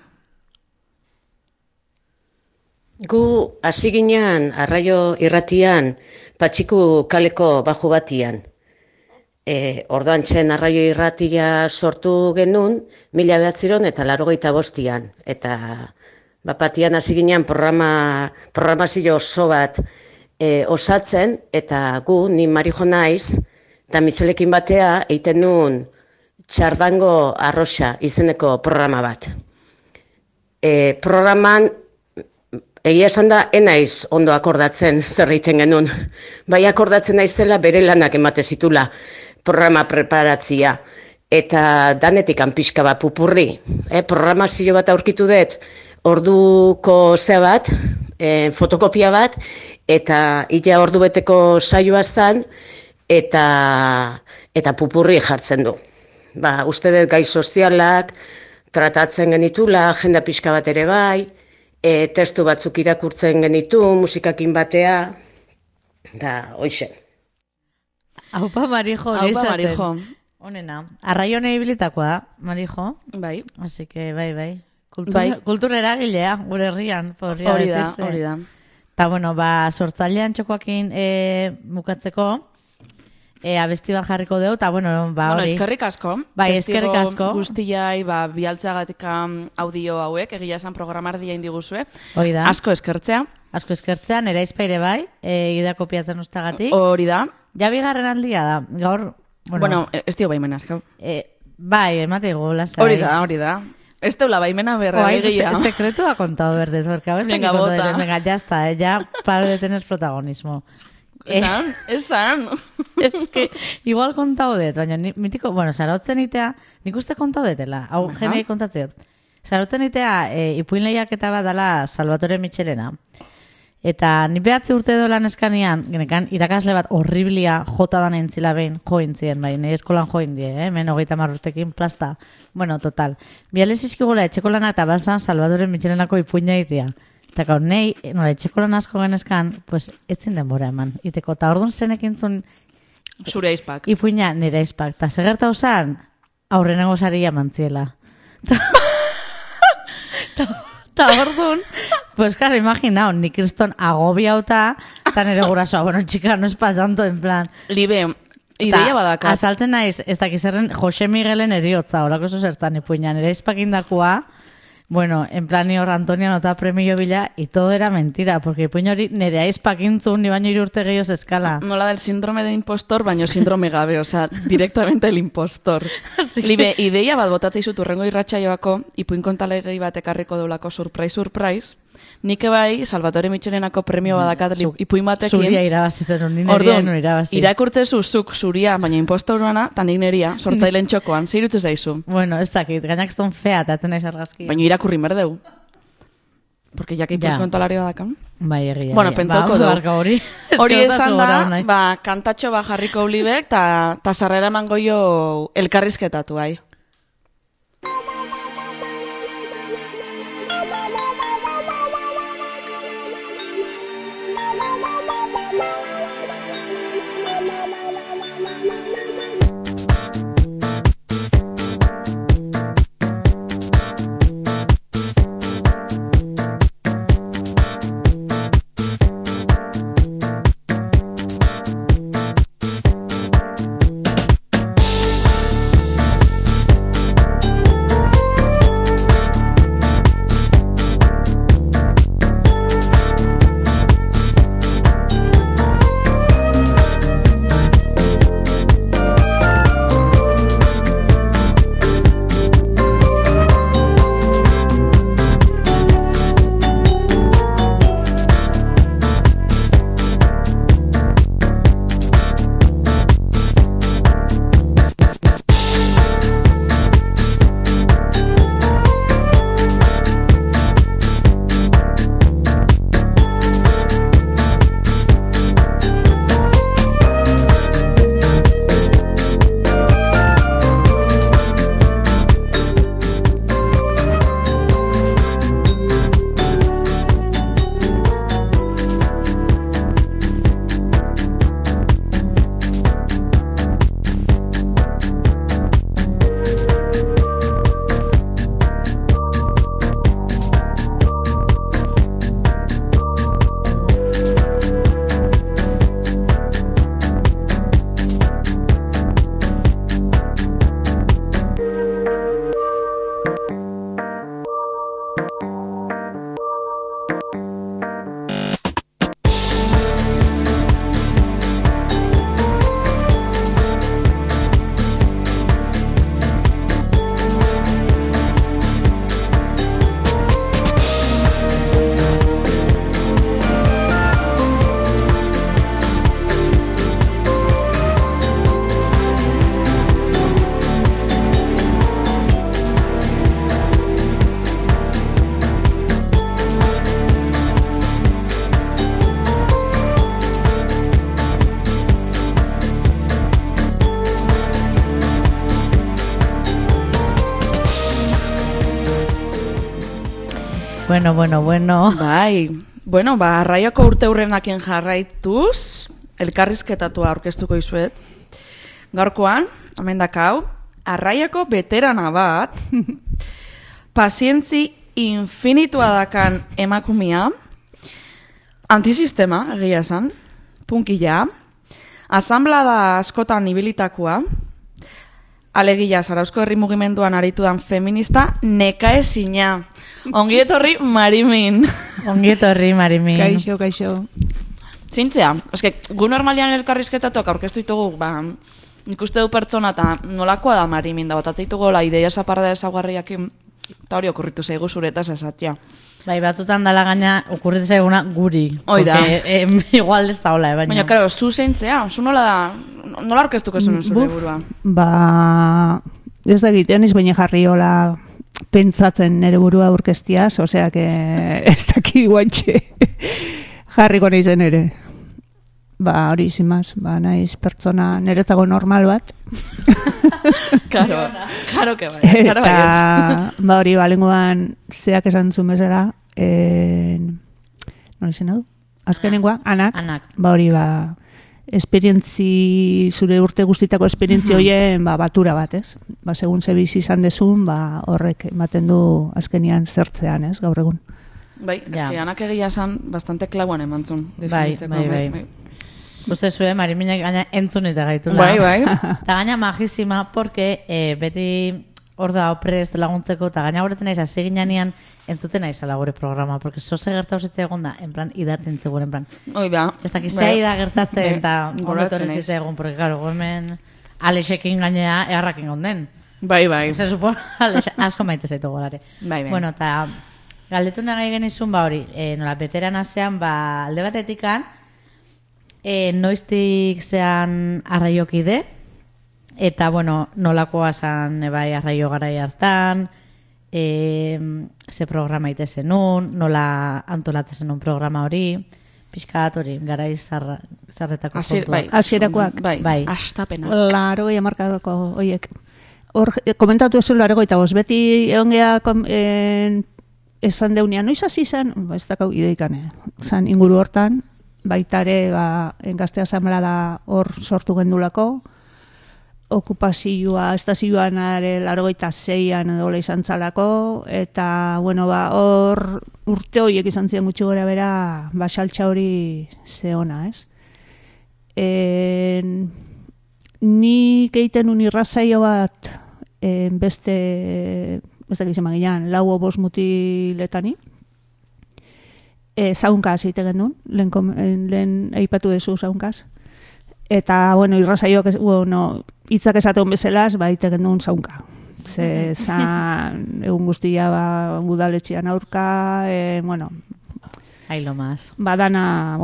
Speaker 9: Gu hasi ginean arraio irratian Patxiku kaleko baju batian. Orduan txen arraio irratia sortu genuen 1985an. Eta bapatian hasi ginean programazio oso bat osatzen, eta gu, ni Marijo naiz, eta Mitxelekin batea eiten nuen txardango arroxa izeneko programa bat. Programan egia esan da, enaiz ondo akordatzen zer egiten genuen. Bai akordatzen naizela bere lanak emate zitula programa preparatzia. Eta danetik pixka bat pupurri. Programazio bat aurkitu dut, orduko zea bat, fotokopia bat, eta ila ordu beteko saioa zan, eta pupurri jartzen du. Ba, uste dut gai sozialak, tratatzen genitula, agenda pixka bat ere bai, testu batzuk irakurtzen genitu, musikakin batea, da, hoxe.
Speaker 1: Aupa Marijo,
Speaker 2: Aupa Marijo.
Speaker 1: Honena, arraione ibilitakoa da, Marijo.
Speaker 2: Bai.
Speaker 1: Así que, bai. Kultura eragilea, gure herrian.
Speaker 2: Hori da.
Speaker 1: Eta, bueno, ba, sortzailean txokoakin bukatzeko, abesti bat jarriko dugu, eta, bueno, ba, hori.
Speaker 2: Eskerrik asko.
Speaker 1: Bai, eskerrik asko.
Speaker 2: Guztiai, ba, bialtzeagatik audio hauek, egia esan programardia indiguzue.
Speaker 1: Hori da.
Speaker 2: Asko eskertzea.
Speaker 1: Nera izpaire bai, gida kopiatzen ustagatik.
Speaker 2: Hori da.
Speaker 1: Ja bigarren aldia da, gaur...
Speaker 2: Bueno, ez dio baimena, eskau.
Speaker 1: Bai, emate lasai.
Speaker 2: Hori da. Ez teula baimena berra egia.
Speaker 1: Secreto ha contado verdes, porque a veces...
Speaker 2: Venga, bota.
Speaker 1: Venga, ya está, ya paro de tener protagonismo.
Speaker 2: Esan.
Speaker 1: Es que igual kontau dut, baina mitiko, bueno, sarautzen itea, nik uste kontau detela, hau jenei kontatzeot. Sarautzen itea, ipuin lehiaketa bat dala Salvatore Michelena. Eta ni behatzi urte dolan eskanean, genekan irakasle bat horriblia jota dan entzila behin, jointzien, bai, nire eskolan joindie, hemen 30 urtekin plasta. Bueno, total. Bialez izkigula etxeko lana eta balzan Salvatore Michelenako ipuina itea. Eta gaur, nahi, nola, etxeko lan asko genezkan, pues, etzin denbora eman. Iteko, eta orduan zenekin zun...
Speaker 2: Zure aizpak.
Speaker 1: Ipuina nire aizpak. Eta segerta osan, aurrenengo saria mantziela. Eta orduan, pues claro, imaginao, ni kriston agobiauta, eta nire gurasoa, bueno, txika, no es pa tanto, en plan...
Speaker 2: Libe, ideia badakat.
Speaker 1: Asaltzen naiz, ez dakizerren Jose Miguelen eriotza, horako oso zertan ipuina, nire aizpakindakua, Bueno, en plan hor Antonia nota premio bila y todo era mentira, porque ipuin hori nere aizpakintzun ni baino 3 urte gehiago eskala.
Speaker 2: Nola del síndrome de impostor, baino síndrome gabe, osea, directamente el impostor.
Speaker 1: Sí.
Speaker 2: Libe, ideia bat botatzei zut urrengo irratsaioako, ipuin kontalerei bat ekarriko deulako surprise, nik bai Salvatore Mitxelenako premio badakat ipuin batekin.
Speaker 1: Zuria irabazi zen, ni neria no irabazi.
Speaker 2: Irakurtzezu zuk zuria, baina impostoruana, eta nik neria, sortzailen txokoan, zeirutze zaizu.
Speaker 1: Bueno, ez dakit, gainak ez don fea, eta atzen aiz argazkia.
Speaker 2: Baina irakurri berdeu. Porque ya que ipuin kontalari badakan.
Speaker 1: Bai, egia.
Speaker 2: Bueno, pentsauko du. Hori esan da, kantatxo jarriko ulibek, eta sarrera emango jo elkarrizketatu, bai.
Speaker 1: Bueno.
Speaker 2: Bai, bueno, Arraiako urte hurrenakien jarraituz, elkarrizketatua aurkeztuko izuet. Gaurkoan, amendakau, Arraiako veterana bat, pazientzi infinitua dakan emakumia, antisistema, egia esan, punkila, asamblada askotan ibilitakoa, alegia Zarauzko herri mugimenduan aritudan feminista, nekaezina. Ongi etorri Marimin.
Speaker 1: Ongi etorri Marimin.
Speaker 6: Kaixo.
Speaker 2: Zintzea, eske, gu normalian elkarrizketatuak aurkeztu ditugu, nik uste du pertsona eta nolakoa da Marimin, da botatzitugu la ideia zaparda ezaguarriakin, eta hori okurritu zaigu zuretaz esatia.
Speaker 1: Bai, batzutan dala gaina okurritu zaiguna guri.
Speaker 2: Oida.
Speaker 1: Igual ez da hola, baina.
Speaker 2: Baina, karo, zu zeintzea, zu nola da, nola aurkeztuko zuen zure burua?
Speaker 10: Ez da egitean baina jarri hola pentsatzen nere burua aurkeztiaz, osea que ez daki guantxe jarriko nahizen ere. Hori zimaz, naiz pertsona niretzago normal bat.
Speaker 2: Karo que bai.
Speaker 10: Eta, hori balenguan zeak esan zumezera, nola izan hau? Azkenengoa, anak. Hori esperientzi, zure urte guztitako esperientzi hoien batura bat, ez? Segun ze bizi izan dezun, horrek ematen du azkenian zertzean, ez, gaur egun.
Speaker 2: Bai, eski anak egia esan bastante klauan emantzun.
Speaker 1: Bai. Uste zuen, Mariminek gaina entzun eta gaitula.
Speaker 2: Bai.
Speaker 1: Eta gaina majísima, porque beti hor da oprest laguntzeko, eta gaina horretzen naiz, hasi ginean entzuten naizala gure programa, porque zoze gertatu zitzaigun egon da, en plan, idatzen zegoen, en plan.
Speaker 2: Oi da.
Speaker 1: Ez dakit zei da gertatzen, eta ondotorren zitzaigun egon, porque, claro, hemen Alexekin gainea eharrakin gonden.
Speaker 2: Bai.
Speaker 1: Se supone, Alex, asko maite zaitu golare.
Speaker 2: Bai.
Speaker 1: Bueno, eta galdetu nahi genizun, hori, nola, beteran asean, alde batetikan, noiztik zean arraiokide, eta, bueno, nolakoa zan bai arraio garai hartan, ze programa ite zenun, nola antolatzen zenun programa hori, pixkat hori, garai zarretako kontuak.
Speaker 10: Hasierakoak.
Speaker 2: Bai. Astapenak.
Speaker 10: 80 hamarkadako horiek. Hor, komentatu ez 85, beti egon geha esan deunean, noiz hasi zen, ez dakau ideikane, zan inguru hortan, baitare, Gazte Asamblea hor sortu gendulako, okupazioa, estazioan 86an edo izan zalako, eta, bueno, hor urte horiek izan ziren gutxi gora bera, saltza hori zeona, ez? Nik egiten un irrazaio bat, beste, ez da gizema ginean, 4-5 mutiletani, zaunkaz egiten genuen, lehen aipatu dezu zaunkaz. Eta, bueno, irrazaioak, hitzak esaten bezalaz, egiten genuen zaunka. Ze, egun guztia, udaletxean aurka, bueno...
Speaker 1: Ailo más.
Speaker 10: Dana,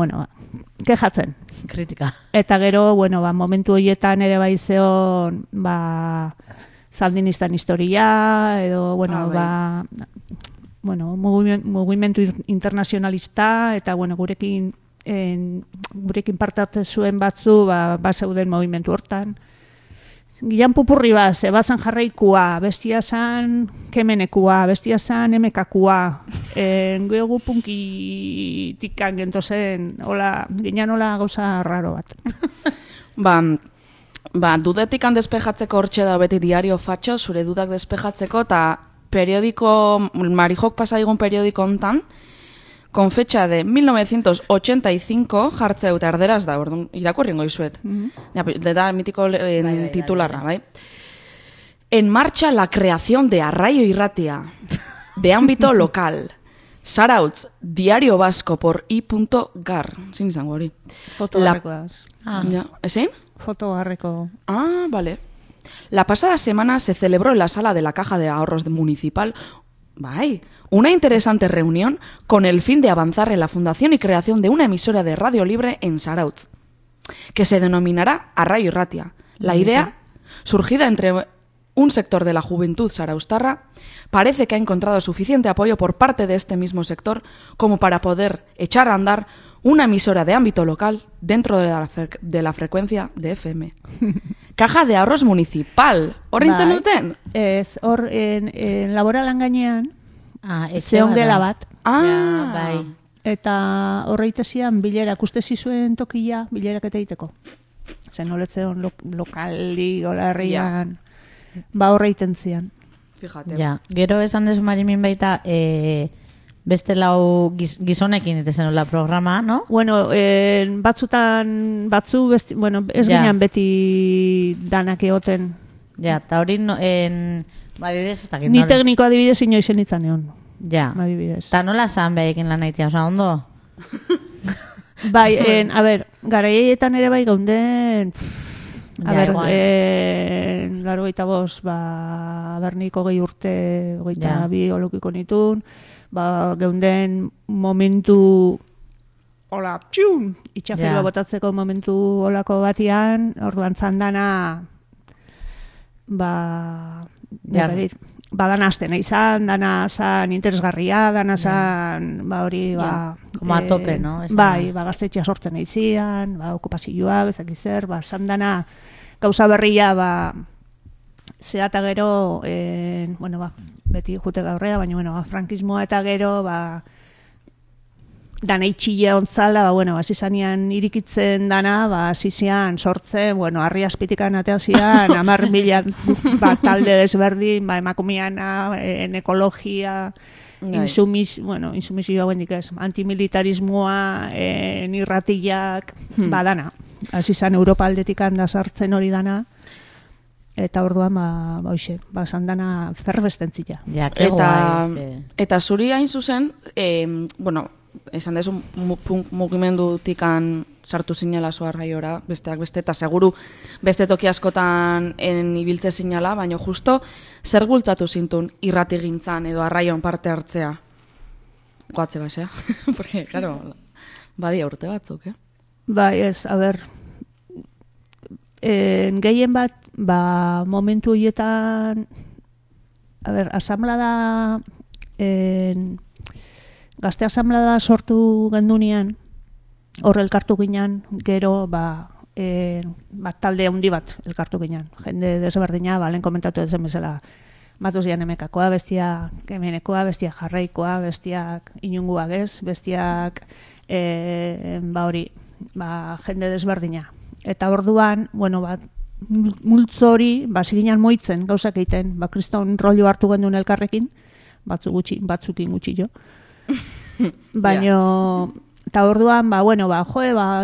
Speaker 10: kejatzen.
Speaker 1: Kritika.
Speaker 10: Eta gero, momentu horietan ere zeon, Sandinistan historia, edo, mugimendu internazionalista, eta, gurekin parte hartzen zuen batzu, zeuden movimentu hortan. Gian pupurri zebazan jarraikua, bestia zan kemenekua, bestia zan emekakua, geogu punkitikan gentozen, ginean hola gauza raro bat.
Speaker 2: Dudetikan despejatzeko hortxe da beti diario fatxo, zure dudak despejatzeko, eta periodiko, Marijok pasadigun periodiko hontan, con fecha de 1985, jartzeu eta erderaz da, irakurringo izuet. Da mitiko titularra, bai? En marcha la creación de Arraio Irratia, de ámbito local. Zarautz, Diario Vasco por i.gar. Zin izango hori.
Speaker 10: Foto garrekoaz.
Speaker 2: ¿Ezin?
Speaker 10: Foto garreko.
Speaker 2: Vale. La pasada semana se celebró en la sala de la Caja de Ahorros municipal una interesante reunión con el fin de avanzar en la fundación y creación de una emisora de radio libre en Zarautz, que se denominará Arraio Irratia. La idea, surgida entre un sector de la juventud zarauztarra, parece que ha encontrado suficiente apoyo por parte de este mismo sector como para poder echar a andar una emisora de ámbito local dentro de la frecuencia de FM. Caja de Ahorros Municipal. Horrintzen duten?
Speaker 10: Ez, hor, laboralan gainean, zeon gela bat.
Speaker 1: Bai.
Speaker 10: Eta horreite zian bilerak, uste zizuen tokia bilerak eta egiteko. Zen holetzeon lokali, golarrian, horreiten zian.
Speaker 2: Fíjate.
Speaker 1: Gero esan desu Marimin baita, beste lau gizonekin itezen hola programa, no?
Speaker 10: Bueno, ez ginean beti danak egoten.
Speaker 1: Eta hori, adibidez, ez dakit.
Speaker 10: Ni tekniko adibidez inoizen itzan egon. Adibidez.
Speaker 1: Eta nola zan behekin lan haitia, oza, ondo?
Speaker 10: A ber, garaietan ere bai gaunden... Garo gaita boz, berniko 20 urte, 22 olukiko nitun, geunden momentu hola, itxafirua botatzeko momentu holako batian, orduan zandana dana azten izan, dana zan interesgarria, dana zan hori
Speaker 1: como a tope, no?
Speaker 10: Gaztetxea sortzen eizian, okupazioak, ezak izer, zandana gauza berria, zehata gero, beti jute gaurrea, baina, frankismoa eta gero, dana itxile ontzala, zizanean irikitzen dana, zizian sortzen, harri azpitikan ateazian, 10.000 talde desberdin, emakumiana, ekologia, insumisioa guendik ez, antimilitarismoa, irratiak, dana. Azizan Europa aldetik handa sartzen hori dana, Eta orduan, hoxe, sandana ferbestentzia.
Speaker 1: Ja,
Speaker 2: eta zuri hain zuzen, bueno, esan dezu mugimendutikan sartu zinela zu Arraiora, besteak beste, eta seguru beste toki askotan ibiltze zinela, baina justo zer bultzatu zintun irratigintzan edo Arraion parte hartzea? Goatze basea, porque, claro, badia urte batzuk,
Speaker 10: Bai, ez, a ber, gehien bat, momentu horietan, a ber, asamblada, gazte asamblada sortu gendunean, hor elkartu ginen, gero, talde handi bat elkartu ginen. Jende desberdina, lehen komentatu ezen bezala, batuz zian emekakoa, bestiak kemenekoa, bestiak jarraikoa, bestiak inunguak ez, bestiak, hori, jende desberdina. Eta orduan, bueno, multzo hori, ziginan moitzen gauzak egiten, kriston rollo hartu gendun elkarrekin, batzukin gutxi jo. Baina, eta orduan,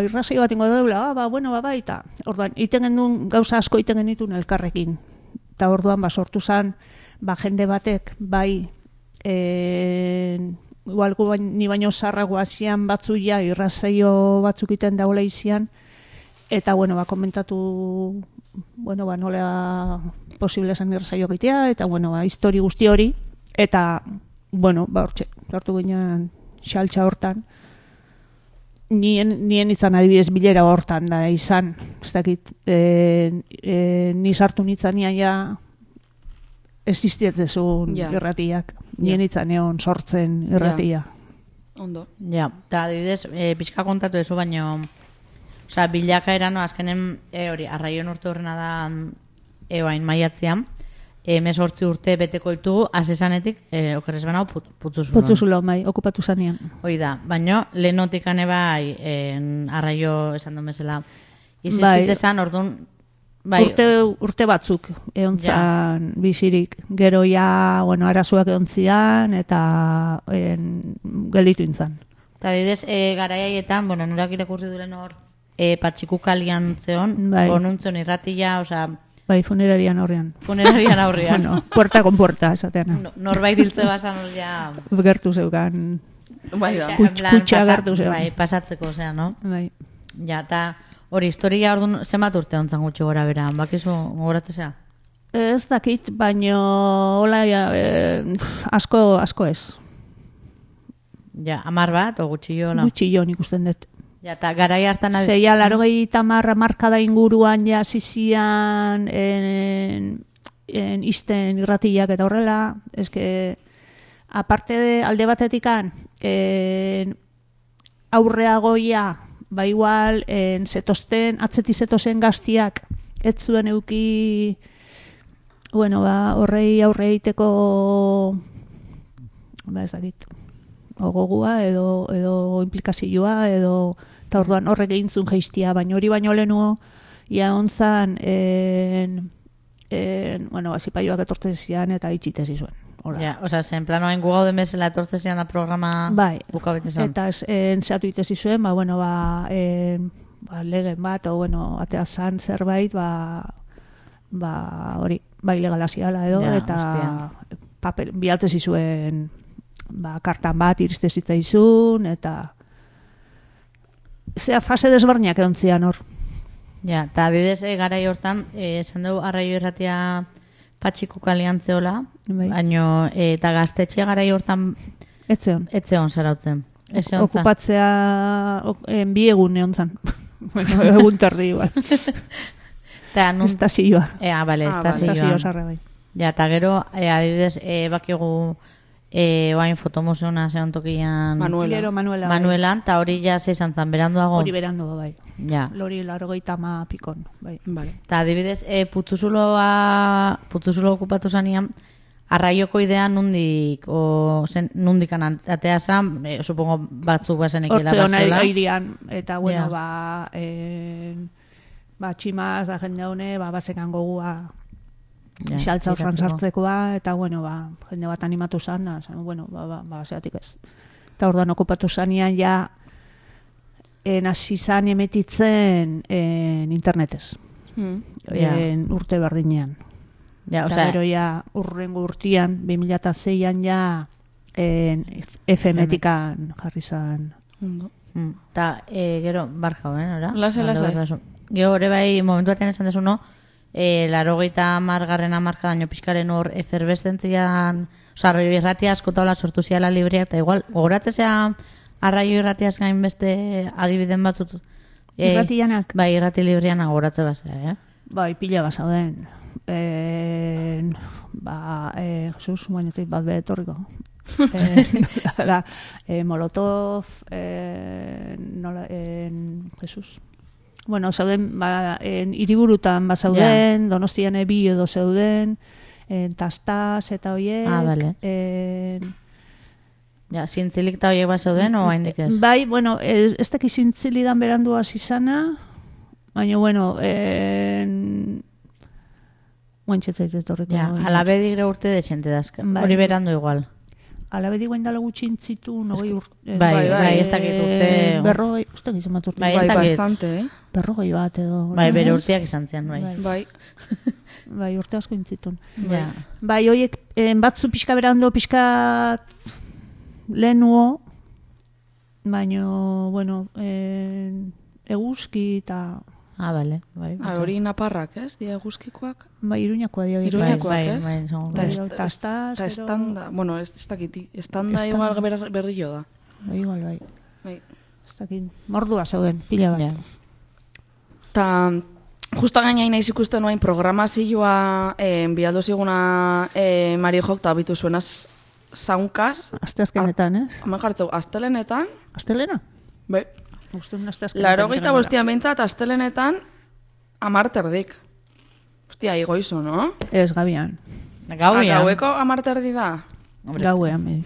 Speaker 10: irrazio bat ingo deula, bai, eta orduan, iten gendun gauza asko iten genitun elkarrekin. Eta orduan, sortu zen, jende batek, igual ni baino zarragoa zian batzuia, irrazio batzuk iten daula izian, eta, komentatu, nola posible zen irrazio egitea, eta, histori guzti hori, eta, hortxe, hartu ginen xaltxa hortan, nien izan adibidez bilera hortan da izan, ez dakit, ni sartu nintzen ja existietzezun irratiak, nien izan egon sortzen irratia.
Speaker 2: Ondo.
Speaker 1: Ja, eta adibidez, pixka kontatu dezu, baina bilakaeran, azkenen, Arraion urte horrena da, eoain maiatzean, 18 urte beteko ditugu, asesanetik, okerrez benau, Putzuzulo.
Speaker 10: Putzuzulo, okupatu zanean.
Speaker 1: Hoi da, baina lehenotik bai, Arraio esan duen bezala, izistitzezan, orduan,
Speaker 10: urte batzuk egon zan bizirik, gero arazoak egon zian, eta gelditu intzan.
Speaker 1: Eta didez, garaiaietan, nurak irakurri duren hor, Patxikuk alian zeon, onuntzen irratia,
Speaker 10: Bai, funerarian aurrean.
Speaker 1: Funerarian aurrean.
Speaker 10: Puerta con puerta, esatean.
Speaker 1: Norbait hiltze basan ja...
Speaker 10: Gertu zeukan.
Speaker 1: Kutsa gertu zeukan. Bai, pasatzeko, no?
Speaker 10: Bai.
Speaker 1: Ja, eta hori, historia orduan zenbat urte ontzan gutxi gora bera, bakizu gogoratzea?
Speaker 10: Ez dakit, baino hola, asko ez.
Speaker 1: Ja, 10 bat, o gutxillo?
Speaker 10: Gutxillo nik usten dut.
Speaker 1: Ja, eta garai hartan...
Speaker 10: Zeia, 80 markada inguruan ja zizian izten irratiak eta horrela, aparte alde batetikan, aurreagoia, igual, atzeti zetozen gaztiak, ez zuen euki, horrei aurre egiteko, ez dakit, gogua edo implikazioa, eta orduan horrek egin zuen geistia, baina hori baino lehenuo, ia ontzan, zipaioak etortzen zian eta itxitez izuen.
Speaker 1: Ja, zen planoain gu gauden bezala etortzen zian da programa bukabetezan.
Speaker 10: Eta entzatu itez izuen, legen bat, atea zan zerbait, hori, legala ziala edo, eta bialtez izuen, kartan bat iriste zitzaizun, eta fase desbarniak egon zian hor.
Speaker 1: Ja, eta adibidez garai hortan, esan dugu Arraio irratia Patxikuk aliantzeola, baina eta gaztetxe garai hortan etzeon zarautzen.
Speaker 10: Okupatzea bi egun egon zan. Egun terdi igual. Estazioa.
Speaker 1: Bale, estazioa. Ja, eta gero, adibidez, bakigu oain fotomuseona zeon tokian Manuelan, eta hori ja izan zan, beranduago?
Speaker 10: Hori beranduago, bai.
Speaker 1: Ja.
Speaker 10: Lori 80 pikon, bai.
Speaker 1: Eta adibidez, Putzuzulo okupatu zanean, Arraioko idea nundik atea zan, supongo batzuk bazen ekela
Speaker 10: bazeola. Hortze hona eta tximaz da jende hone, bazekan gogua xaltza horran sartzekoa, eta jende bat animatu zan, zeatik ez. Eta orduan okupatu zanean hasi zan emetitzen internetez. urte berdinean.
Speaker 1: Ja,
Speaker 10: Eta gero ja urrengo urtean, 2006an ja FM-etikan jarri zan.
Speaker 1: Eta gero, barka, ora?
Speaker 2: Lase.
Speaker 1: Gero, hori bai, momentu batean esan desu, no? 80. hamarkadaino pixkaren hor eferbestentzian, arraio irratia askotaola sortu ziala libreak, eta igual, gogoratzea arraio irratiaz gain beste adibiden batzut.
Speaker 10: Irratianak?
Speaker 1: Bai, irrati libreanak gogoratze bazea,
Speaker 10: Bai, pila bazauden. Jesus, bainatik bat behetorriko. Molotov, Jesus. Bueno, zauden, hiriburutan bazauden, Donostian bi edo zeuden, Tastaz eta hoiek.
Speaker 1: Bale. Zintzilik eta hoiek bazauden, o haindik ez?
Speaker 10: Bai, bueno, ez daki zintzilidan berandu hasi izana, baina, bueno, guantxetzait etorriko.
Speaker 1: Alabedi gire urte dexente dazken, hori berandu igual.
Speaker 10: Alabedi guain dala gutxintzitu, nogei urte.
Speaker 1: Bai, ez dakit urte.
Speaker 10: Berrogei, ez dakit zemat urte.
Speaker 1: Bai,
Speaker 2: bastante,
Speaker 10: Berrogei bat edo.
Speaker 1: Bai, bere urteak izan zian,
Speaker 2: bai.
Speaker 10: Bai, urte asko intzitun.
Speaker 1: Ja.
Speaker 10: Bai, hoiek batzu pixka berando, pixka lehenuo, baina, bueno, eguzki eta...
Speaker 1: Bale.
Speaker 2: Hori naparrak, ez? Dia eguzkikoak?
Speaker 10: Bai, Iruñakoa dia.
Speaker 2: Iruñakoak,
Speaker 1: Bai.
Speaker 10: Eta
Speaker 2: estanda, bueno, ez dakiti. Estanda igual berrillo da.
Speaker 10: Bai, igual, bai.
Speaker 2: Bai.
Speaker 10: Ez dakit, mordua zauden, pila bat.
Speaker 2: Ta, justa gainain naiz ikusten noain programazioa bialdo ziguna Mari Jok eta bitu zuena zaunkaz.
Speaker 10: Asteazkenetan, ez?
Speaker 2: Hemen jartzeu, astelenetan.
Speaker 10: Astelena?
Speaker 2: Bai. 85 bentsat, astelenetan 10 terdik. Hostia, igoizu, no?
Speaker 10: Ez, gabian.
Speaker 2: Gaueko 10 terdi da?
Speaker 10: Gauean,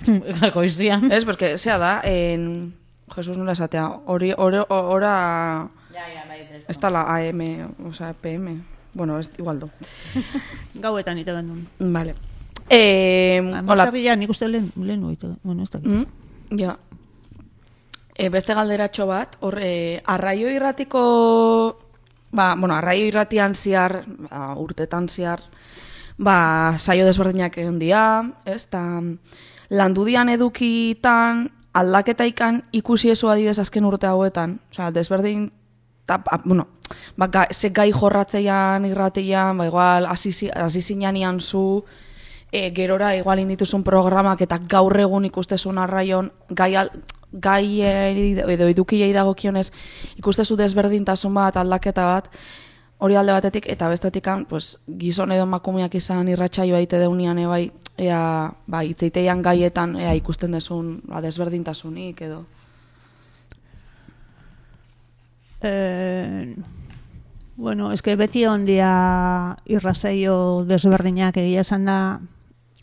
Speaker 1: goizian.
Speaker 2: Ez, porque, zea da, Jesus nola esatea, ora... Ez da la AM, o sea, PM. Bueno, igual do.
Speaker 10: Gauetan ite gendun.
Speaker 2: Vale.
Speaker 10: Amazkarria nik uste lehen ite. Bueno, ez dakit.
Speaker 2: Ja. Beste galderatxo bat, arraio irratiko, arraio irratian ziar, urtetan ziar, saio desberdinak egon dia, ez, eta landudian edukitan, aldaketaikan ikusi ezu adidez azken urte hauetan, oza, desberdin, ze gai jorratzeian irratian, igual, azizinanian zu, gerora igual indituzun programak eta gaur egun ikustezun arraion gai edo edukiei dagokionez ikustezu desberdintasun bat, aldaketa bat, hori alde batetik, eta bestetik pues, gizon edo emakumeak izan irratsaioa ite deunian bai, itzeiteian gaietan ikusten desun desberdintasunik edo.
Speaker 10: Bueno, eske beti ondia irrasaio desberdinak egia esan da,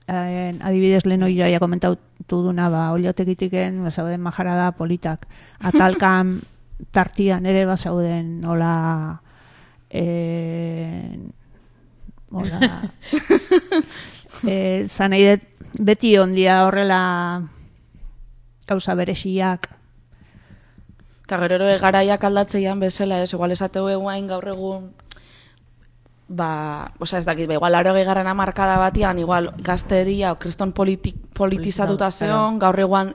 Speaker 10: adibidez lehen oia komentatu duna, oliotekitiken bazauden majarada politak. Atalkan tartian ere bazauden hola zanei beti ondia horrela gauza beresiak.
Speaker 2: Eta gero garaiak aldatzeian bezala, ez, igual esateu eguain gaur egun, ez dakit, igual 80. hamarkada batian, igual gazteria o kriston politizatuta zeon, gaur egun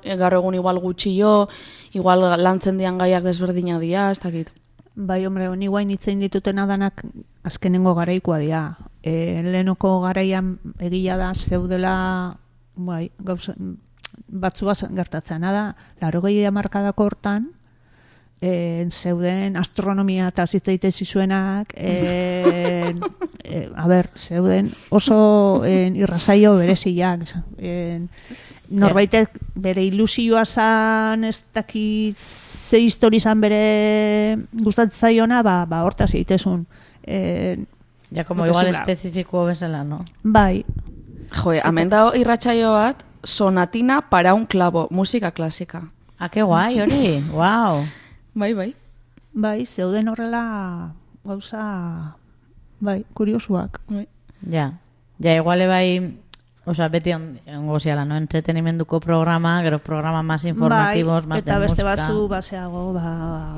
Speaker 2: igual gutxio, igual lantzen dian gaiak desberdina dia, ez dakit.
Speaker 10: Bai, hombre, honi guain itzein dituten adanak azkenengo garaikoa dira. Lehenoko garaian egia da zeudela, gauza, batzu gertatzen da, 80. hamarkadako hortan, zeuden astronomia eta zitzaitezi zuenak, zeuden oso irrasaio bereziak. Norbaitek bere ilusioa zan, ez dakit ze histori zan bere gustatzaiona, hortaz egitezun.
Speaker 1: Ja, como igual espezifiko bezala, no?
Speaker 10: Bai.
Speaker 2: Jo, hemen dago irratsaio bat, sonatina para un clavo, musika klasika.
Speaker 1: Que guai, hori, wow.
Speaker 2: Bai.
Speaker 10: Bai, zeuden horrela gauza, kuriosuak.
Speaker 1: Ja, iguale bai, Osea, beti ongo ziala, no? Entretenimenduko programa, gero programa más informativos, más de música.
Speaker 10: Eta beste batzu, baseago,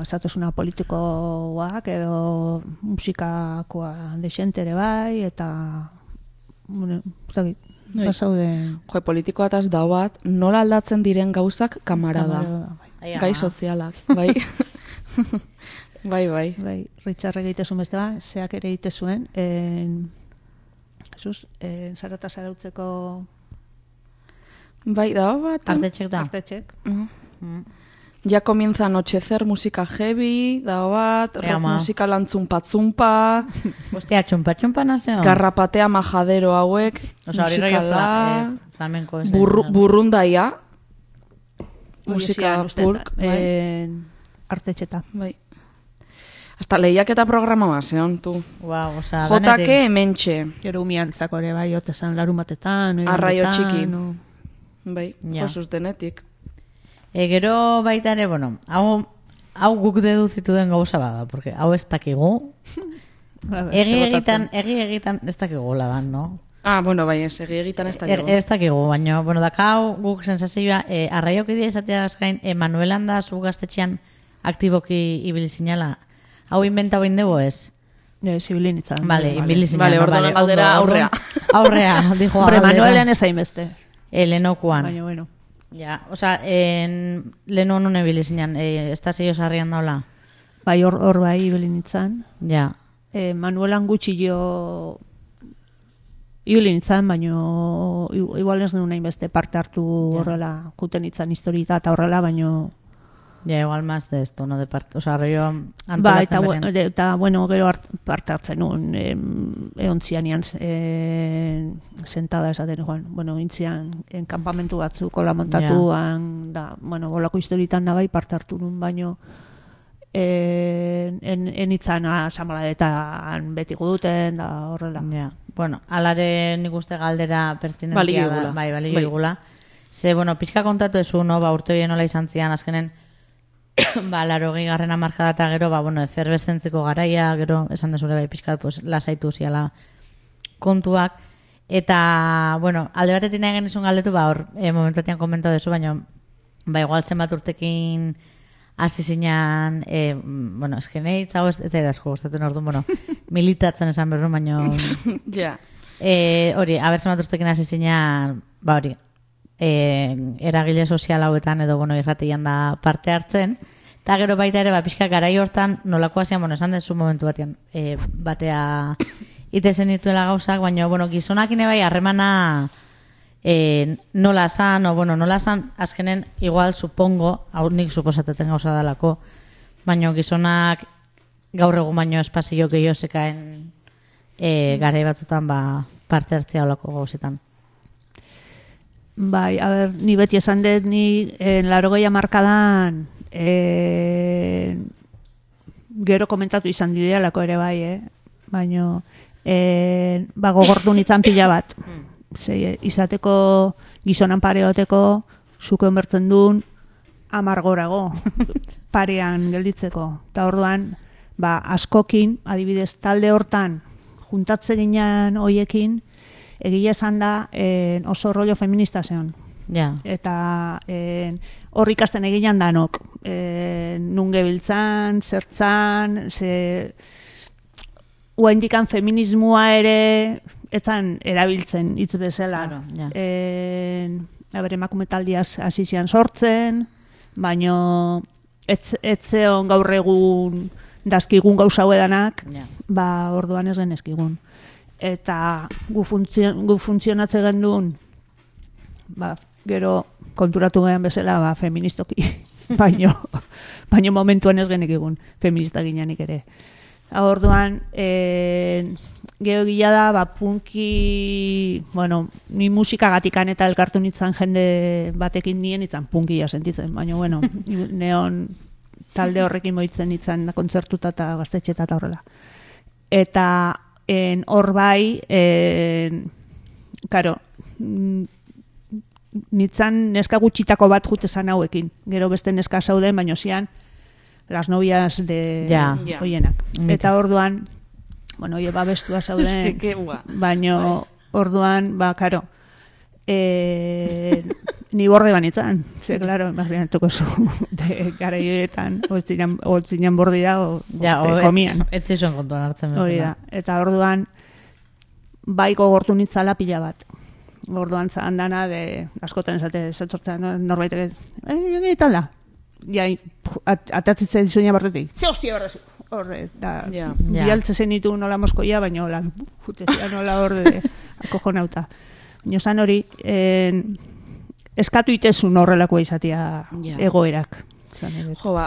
Speaker 10: esatosuna politikoak edo musikakoa desentere bai, eta, bueno, basaude...
Speaker 2: Jo, politikoa eta da bat, nola aldatzen diren gauzak kamarada.
Speaker 10: Bai.
Speaker 2: Gai sozialak, bai. Bai.
Speaker 10: Bai, Richard egitezun beste ba, zeak ere egitezuen, Jesus, zarata zarautzeko...
Speaker 2: Bai, da bat...
Speaker 1: Artetxek da.
Speaker 10: Artetxek.
Speaker 2: Ya comienza a anochecer, música heavy, da bat, rock musika lantzumpa-zumpa...
Speaker 1: Hostia, txumpa nazio.
Speaker 2: Garrapatea majadero hauek,
Speaker 1: Osa,
Speaker 2: musikala...
Speaker 1: flamenko ez.
Speaker 2: Burrundaia. Musika purk.
Speaker 10: Artetxeta.
Speaker 2: Bai. Hasta lehiak eta programa baseon, tu.
Speaker 1: Wow, osa,
Speaker 2: JK hementxe.
Speaker 10: Gero umiantzako ere bai, otezan larumatetan.
Speaker 2: Arraio txiki. Bai, josuz denetik.
Speaker 1: Gero baita ere, bueno, hau guk deduzitu den gauza bada, porque hau ez dakigu. Egi egitan ez dakigu ladan, no?
Speaker 2: Bueno, bai, egi egitan ez dakigu.
Speaker 1: Ez dakigu, baina, bueno, dakau guk sensazioa, arraiok idea izatea azkain, Manuelan da zu gaztetxean aktiboki ibili zinala. Hau inventa hoin dugu ez?
Speaker 10: Zibilin itzan.
Speaker 1: Vale, ibili zinala.
Speaker 2: Vale, orduan galdera aurrea.
Speaker 1: Aurrea, dijo
Speaker 10: galdera. Manuelan ez hainbeste.
Speaker 1: Lehenokuan.
Speaker 10: Baina, bueno.
Speaker 1: Ja, oza, leheno non ibili zinan, estazio sarrian daula?
Speaker 10: Bai, hor bai ibili nintzen.
Speaker 1: Ja.
Speaker 10: Manuelan gutxi jo ibili nintzen, baina igual ez nuen hainbeste parte hartu horrela, juten nintzen historita eta horrela, baina...
Speaker 1: Ja, igual más de esto, no de parte, oza, arroio antolatzen
Speaker 10: beren. Eta, bueno, gero parte hartzen nuen, eontzianian sentada esaten, bueno, intzian, enkampamentu batzu kola montatuan, da, bueno, bolako historitan da bai parte hartu nuen, baino, enitzan asamaladetan beti guduten, da horrela.
Speaker 1: Ja, bueno, alare nik uste galdera pertinentia da, bai, balio igula. Ze, bueno, pixka kontatu ezu, no, ba, urte horien nola izan zian, azkenen, ba, 80. hamarkada eta gero, ba, bueno, eferbestentziko garaia, gero, esan dezure bai pixkat, pues, lasaitu ziala kontuak. Eta, bueno, alde batetik nahi genizun galdetu, ba, hor, momentuatian komentau dezu, baina, ba, igual zenbat urtekin hasi zinean, bueno, eskenei, hau ez da asko gustatzen orduan, bueno, militatzen esan berru, baina...
Speaker 2: Ja.
Speaker 1: Hori, aber zenbat urtekin hasi zinean, ba, hori, eragile sozial hauetan edo bueno irratian da parte hartzen eta gero baita ere pixka garai hortan nolakoa zian, bueno, esan dezu momentu batean batea itezen dituela gauzak, baina bueno, gizonakin bai harremana nola san, o bueno, nola san azkenen igual supongo, hau nik suposateten gauza dalako, baina gizonak gaur egun baino espazio gehiago zekaen garai batzutan ba, parte hartzea olako gauzetan.
Speaker 10: Bai, a ber, ni beti esan dut, ni 80 hamarkadan gero komentatu izan didealako ere bai, baina ba, gogortu nintzen pila bat. Izateko gizonan pareoteko zuko enbertzen duen amargorago parean gelditzeko. Eta orduan, ba, askokin, adibidez, talde hortan juntatze ginen hoiekin, egia esan da oso rollo feminista zeon.
Speaker 1: Ja.
Speaker 10: Eta hor ikasten eginan danok. Nun gebiltzan, zertzan, uaindikan feminismoa ere etzan erabiltzen hitz bezala.
Speaker 1: Claro, ja.
Speaker 10: Emakume taldiaz hasi zian sortzen, baino etzeon gaur egun dazkigun gauza hauedanak, ba orduan ez genezkigun. Eta gu funtzionatze gendun, ba, gero konturatu gehan bezala ba, feministoki, baino momentuan ez genek egun feminista gineanik ere. Orduan, geho gila da, ba, punki, bueno, ni musikagatikan eta elkartu nintzen jende batekin nien nintzen punkia sentitzen, baina, bueno, neon talde horrekin moitzen nintzen kontzertuta eta gaztetxeta eta horrela. Eta hor bai, karo, nintzen neska gutxitako bat jutezan hauekin. Gero beste neska zauden, baino zian, las novias de hoienak. Eta orduan, bueno, oie babestua zauden, baino orduan, ba, karo, Ni borde banitzan, ze, klaro, imaginatuko zu, garaioetan, holtzinan bordira, komian.
Speaker 1: Ez zizuen kontuan hartzen.
Speaker 10: Hori da, eta orduan, bai gogortu nitzala pila bat. Orduan handana, askotan esate, zetortzen norbaitek, egitala. Ja, atatzitzen dizunia bartetik, ze hostia barrazu. Horre, da, bialtze zenitu nola moskoia, baina hola, jutezia nola horde, akojonauta. Nozan hori, eskatu itezun horrelakoa izatea egoerak.
Speaker 2: Jo,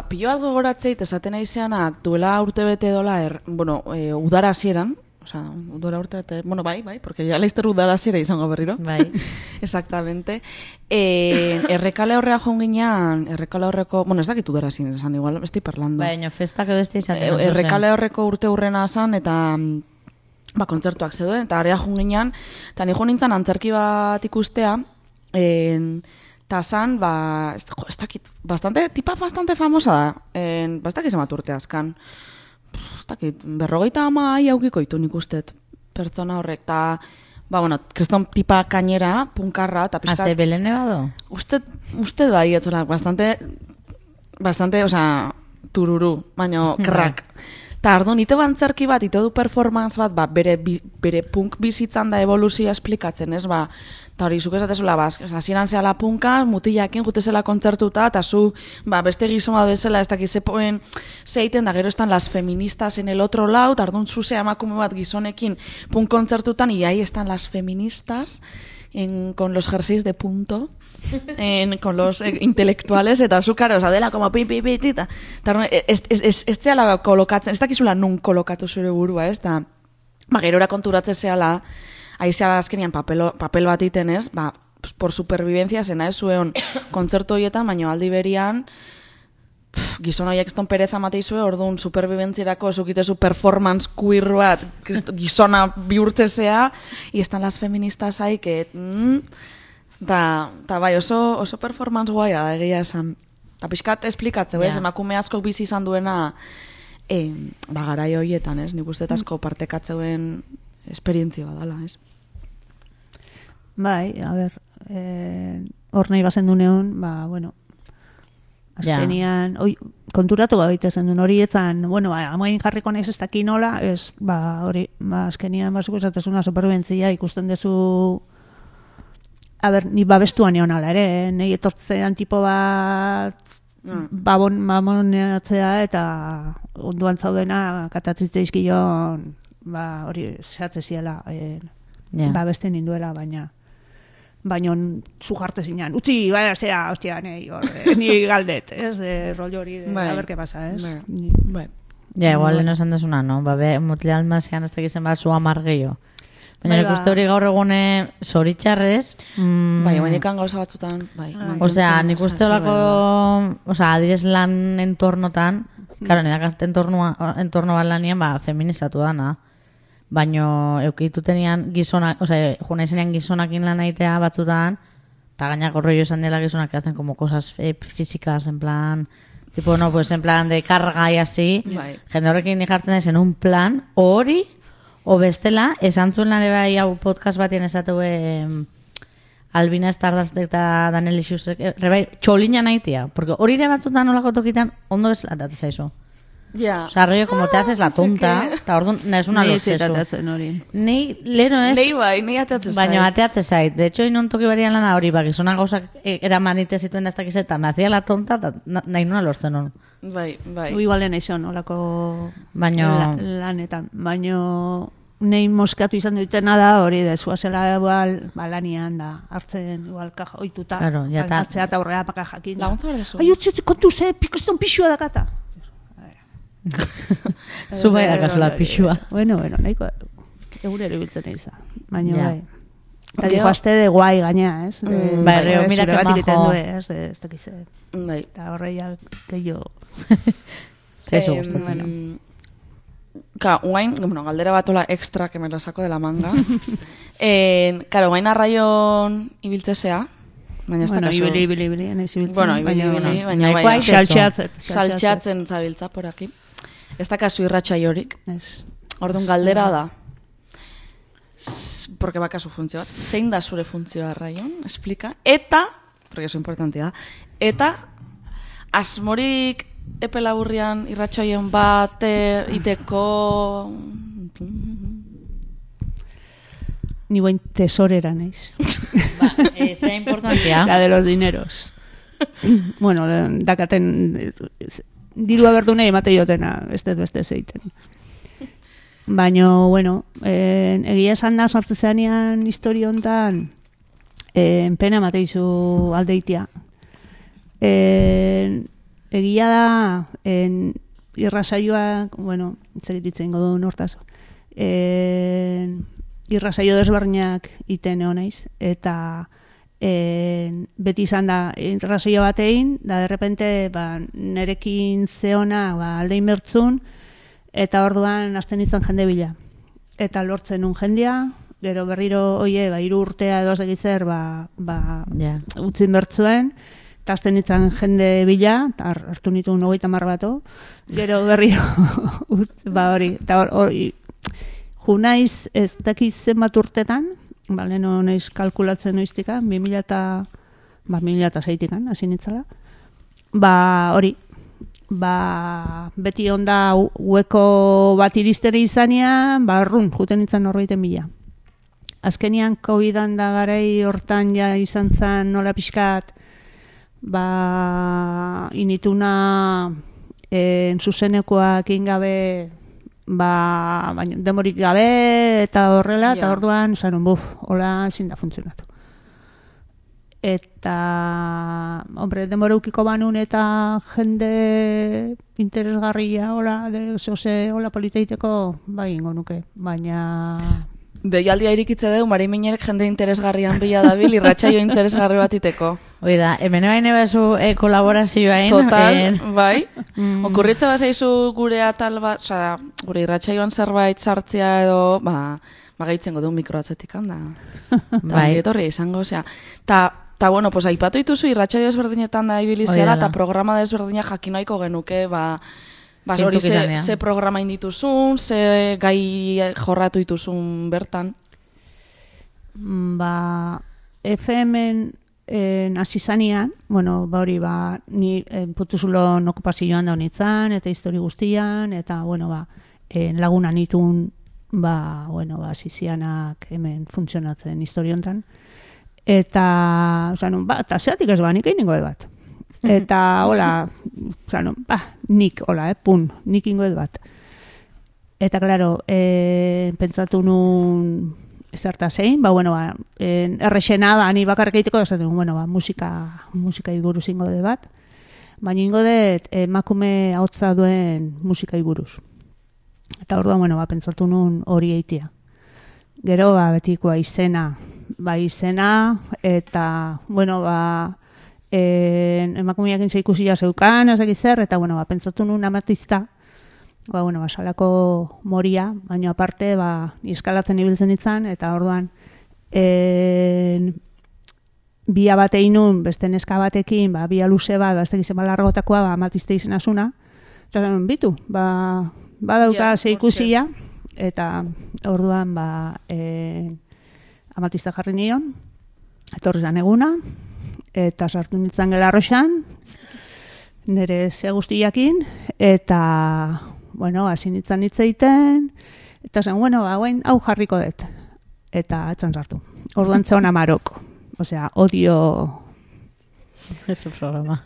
Speaker 2: pilo bat gogoratzeit, esaten aizeanak, duela urte bete dola, udara hasieran, udara urte bete, bai, porque ya laizter udara hasiera izango berriro.
Speaker 1: Bai.
Speaker 2: Exactamente. Errekale horrea joan ginean, errekale horreko, ez dakit udara hasieran esan, igual, estai parlando.
Speaker 1: Baina, festak edo estai izaten.
Speaker 2: Errekale horreko urte hurrena esan, eta kontzertuak zeuden, eta area joan ginean, eta ni joan nintzen antzerki bat ikustea, eta zan, ez dakit, tipa bastante famosa da, ez dakit zemat urte azkan, ez dakit, 50 aukiko itu nik ustet, pertsona horrek, eta, kriston tipa kainera, punkarra, eta pixkat...
Speaker 1: Ase, Belene bado?
Speaker 2: Usted bai, etzola, bastante, tururu, baino, krak. Eta ardo, nite bantzerki bat, ite du performance bat, bere punk bizitzan da evoluzioa esplikatzen, ez, eta hori, zuk esatezula, hasieran zehala punka, mutilakin jutezela kontzertuta, eta zu, beste gizoma bezala, ez dakiz zeiten, da gero estan las feministas en el otro lado, eta ardo, zuzea emakume bat gizonekin punk kontzertutan, y ahí están las feministas, con los jerseys de punto, con los intelectuales, eta azúcar, dela, como pipipitita. Ez zehala kolokatzen, ez dakizula nun kolokatu zure burua, ez da, gerora konturatzen zehala, aizea azkenian papel bat iten, ez, por supervivencia zena ez zuen kontzertu horietan, baina aldi berian, gizon horiek eston pereza matei zuen, orduan superviventzirako zukitezu performance queer bat, gizona bihurtzezea, y están las feministas ahí, que... Eta bai, oso performance guaia da, egia esan. Eta pixkat esplikatzeu, ez, emakume askok bizi izan duena garai horietan, ez, nik uste asko partekatzeuen esperientzia badala, ez.
Speaker 10: Bai, a ber, hor nahi bazen dunean, azkenian, konturatu gabeite zen duen hori etzan, amain jarriko nahiz ez daki nola, ez, hori, azkenian bazuko esatezuna superbentzia ikusten dezu, a ber, ni babestuan egon ala ere, nahi etortzean tipo bat baboneatzea eta onduan zaudena katatzitze izkion, hori zehatze ziela, babesten ninduela, baina zu jarte zinean, utzi, zea, hostia, ni galdet, ez, de rollo hori, a ber, que pasa, ez?
Speaker 1: Ja, igual lehen esan desuna, no? Mutile almazian ez dakizen bat zu amar gehiago. Baina nik uste hori gaur egune zoritxarrez...
Speaker 2: Baina gauza batzutan, bai.
Speaker 1: Osea, nik uste horako, adibidez lan entornotan, karo, nidak entorno bat lanien, feministatu dana. Baina eukitutenian gizonak, juna izenean gizonakin lan aitea batzutan, eta gainak horrello esan dela gizonak que hacen como cosas físicas, en plan... Tipo, no, pues en plan de carga y así. Jende horrekin jartzen naiz en un plan, hori... O bestela, esan zuen lan bai hau podcast batien esatu Albina Stardust eta Daniel Isuzek, txolina nahitia, porque hori ere batzutan nolako tokitan ondo bezala datea zaizu.
Speaker 2: Ja.
Speaker 1: O sea, rollo, como te haces la tonta, eta orduan, nahez una lortzezu. Nei, lero ez,
Speaker 2: nei ateatzen zait.
Speaker 1: Baina ateatzen zait. De hecho, inon toki batian lana hori, gizonak gauzak eraman ite zituen daztak izeta, me hacía la tonta, eta nahi nuna lortzen hon.
Speaker 2: Bai.
Speaker 10: Igualen eixon, olako lanetan. Baina... Nei moskatu izan dutena da, hori da, zuazela lanian da, hartzen, igual, kaja, oituta, atzea eta horrea paka jakin.
Speaker 2: Laguntza behar dezu.
Speaker 10: Ai, utzi, kontu ze, pikoston pixua dakata.
Speaker 1: Zu bai dakazula pixua.
Speaker 10: Bueno, nahiko, egurero ibiltzen eiza. Baina, bai. Eta dijo, azte de guai gainea, ez?
Speaker 1: Bai, reo, mira que majo.
Speaker 10: Ez dakize.
Speaker 2: Bai.
Speaker 10: Eta horreia, gehiago.
Speaker 1: Zaizu gustatzen.
Speaker 2: Guain, galdera batola extra que me lo saco de la manga. Claro, guain arraion ibiltzesea. Baina ez da kasu.
Speaker 10: Ibili, nahiz ibiltzen.
Speaker 2: Bueno, ibili, baina bai. Saltxatzen zabiltza por aquí. Ez da kasu irratxai horik. Orduan galdera da. porque bakazu funtzio bat, zein da zure funtzioa Raion, explika, eta, porque eso importante da, eta asmorik epe laburrian irratsaioen bat iteko...
Speaker 10: Ni buen tesorera naiz.
Speaker 1: Esa importantea.
Speaker 10: La de los dineros. Bueno, dakaten dirua berdune emate jotena, ez dut beste zeiten. Baina, bueno, egia esan da sartu zeanean historia hontan pena mateizu aldeitia. Egia da irrasaioak, bueno, itzegititzen godu nortaz, irrasaio desberdinak iten egon naiz, eta beti izan da irrasaio batein, da derrepente nerekin zeona aldein bertzun, eta orduan hasten izan jende bila. Eta lortzen un jendea, gero berriro, 3 urtea edo segitzer, utzin bertzuen, eta hasten izan jende bila, eta hartu nituen 30 bato, gero berriro, hori, eta hori, junaiz ez dakiz zenbat urtetan, leheno naiz kalkulatzen noiztika, 2006-tikan, hasi nitzala, hori, beti onda hueko bat iristeri izanean, juten nintzen 40.000. Azkenian COVID-an da garai hortan ja izan zen nola pixkat, inituna zuzenekoak ingabe, baina demorik gabe eta horrela, eta orduan zanun, hola ezin da funtzionatu. Eta, demora ukiko banun eta jende interesgarria, hola politeiteko, ingo nuke, baina...
Speaker 2: Deialdia irikitze dugu, Mari Minerek jende interesgarrian bila dabil, irratsaio interesgarri bat iteko.
Speaker 1: Hoi da, hemen baina bezu kolaborazioain.
Speaker 2: Total, bai. Okurritza bazaizu gure atal bat, gure irratsaioan zerbait sartzea edo, gaitzen godu mikroatzetik handa. Bai. Etorri izango, eta, bueno, pues aipatu dituzu irratsaio desberdinetan da ibiliziala, eta programa desberdina jakinoiko genuke, hori ze programa indituzun, ze gai jorratu dituzun bertan?
Speaker 10: FM-en hasi zanean, hori, ni putuzulon okupazioan da honitzen, eta histori guztian, eta, lagunan itun, hasi zianak hemen funtzionatzen histori hontan. Eta, eta zeatik ez nik egin ningo bat. Eta, hola, nik ingo bat. Eta, klaro, pentsatu nun zerta zein, errexena, ni bakarrik egiteko, musika buruz ingo bat, baina ingo dut emakume ahotsa duen musika buruz. Eta orduan, pentsatu nun hori eitia. Gero, betikoa izena, eta, emakumeak intza ikusia zeukan, ez dakit zer, eta, pentsatu nun amatista, salako moria, baina aparte, eskalatzen ibiltzen itzan, eta orduan, bia batein nun, beste neska batekin, bia luze bat, ez dakit zen largotakoa, amatista izena zuna, eta bitu, badauka ze ikusia, eta orduan, amatista jarri nion, etorri zan eguna, eta sartu nintzen gela arroxan, nire ze guztiakin, eta, hasi nintzen hitzeiten, eta zen, hau jarriko dut, eta etzan sartu. Orduan zeon Amarok, odio...
Speaker 1: Ese programa.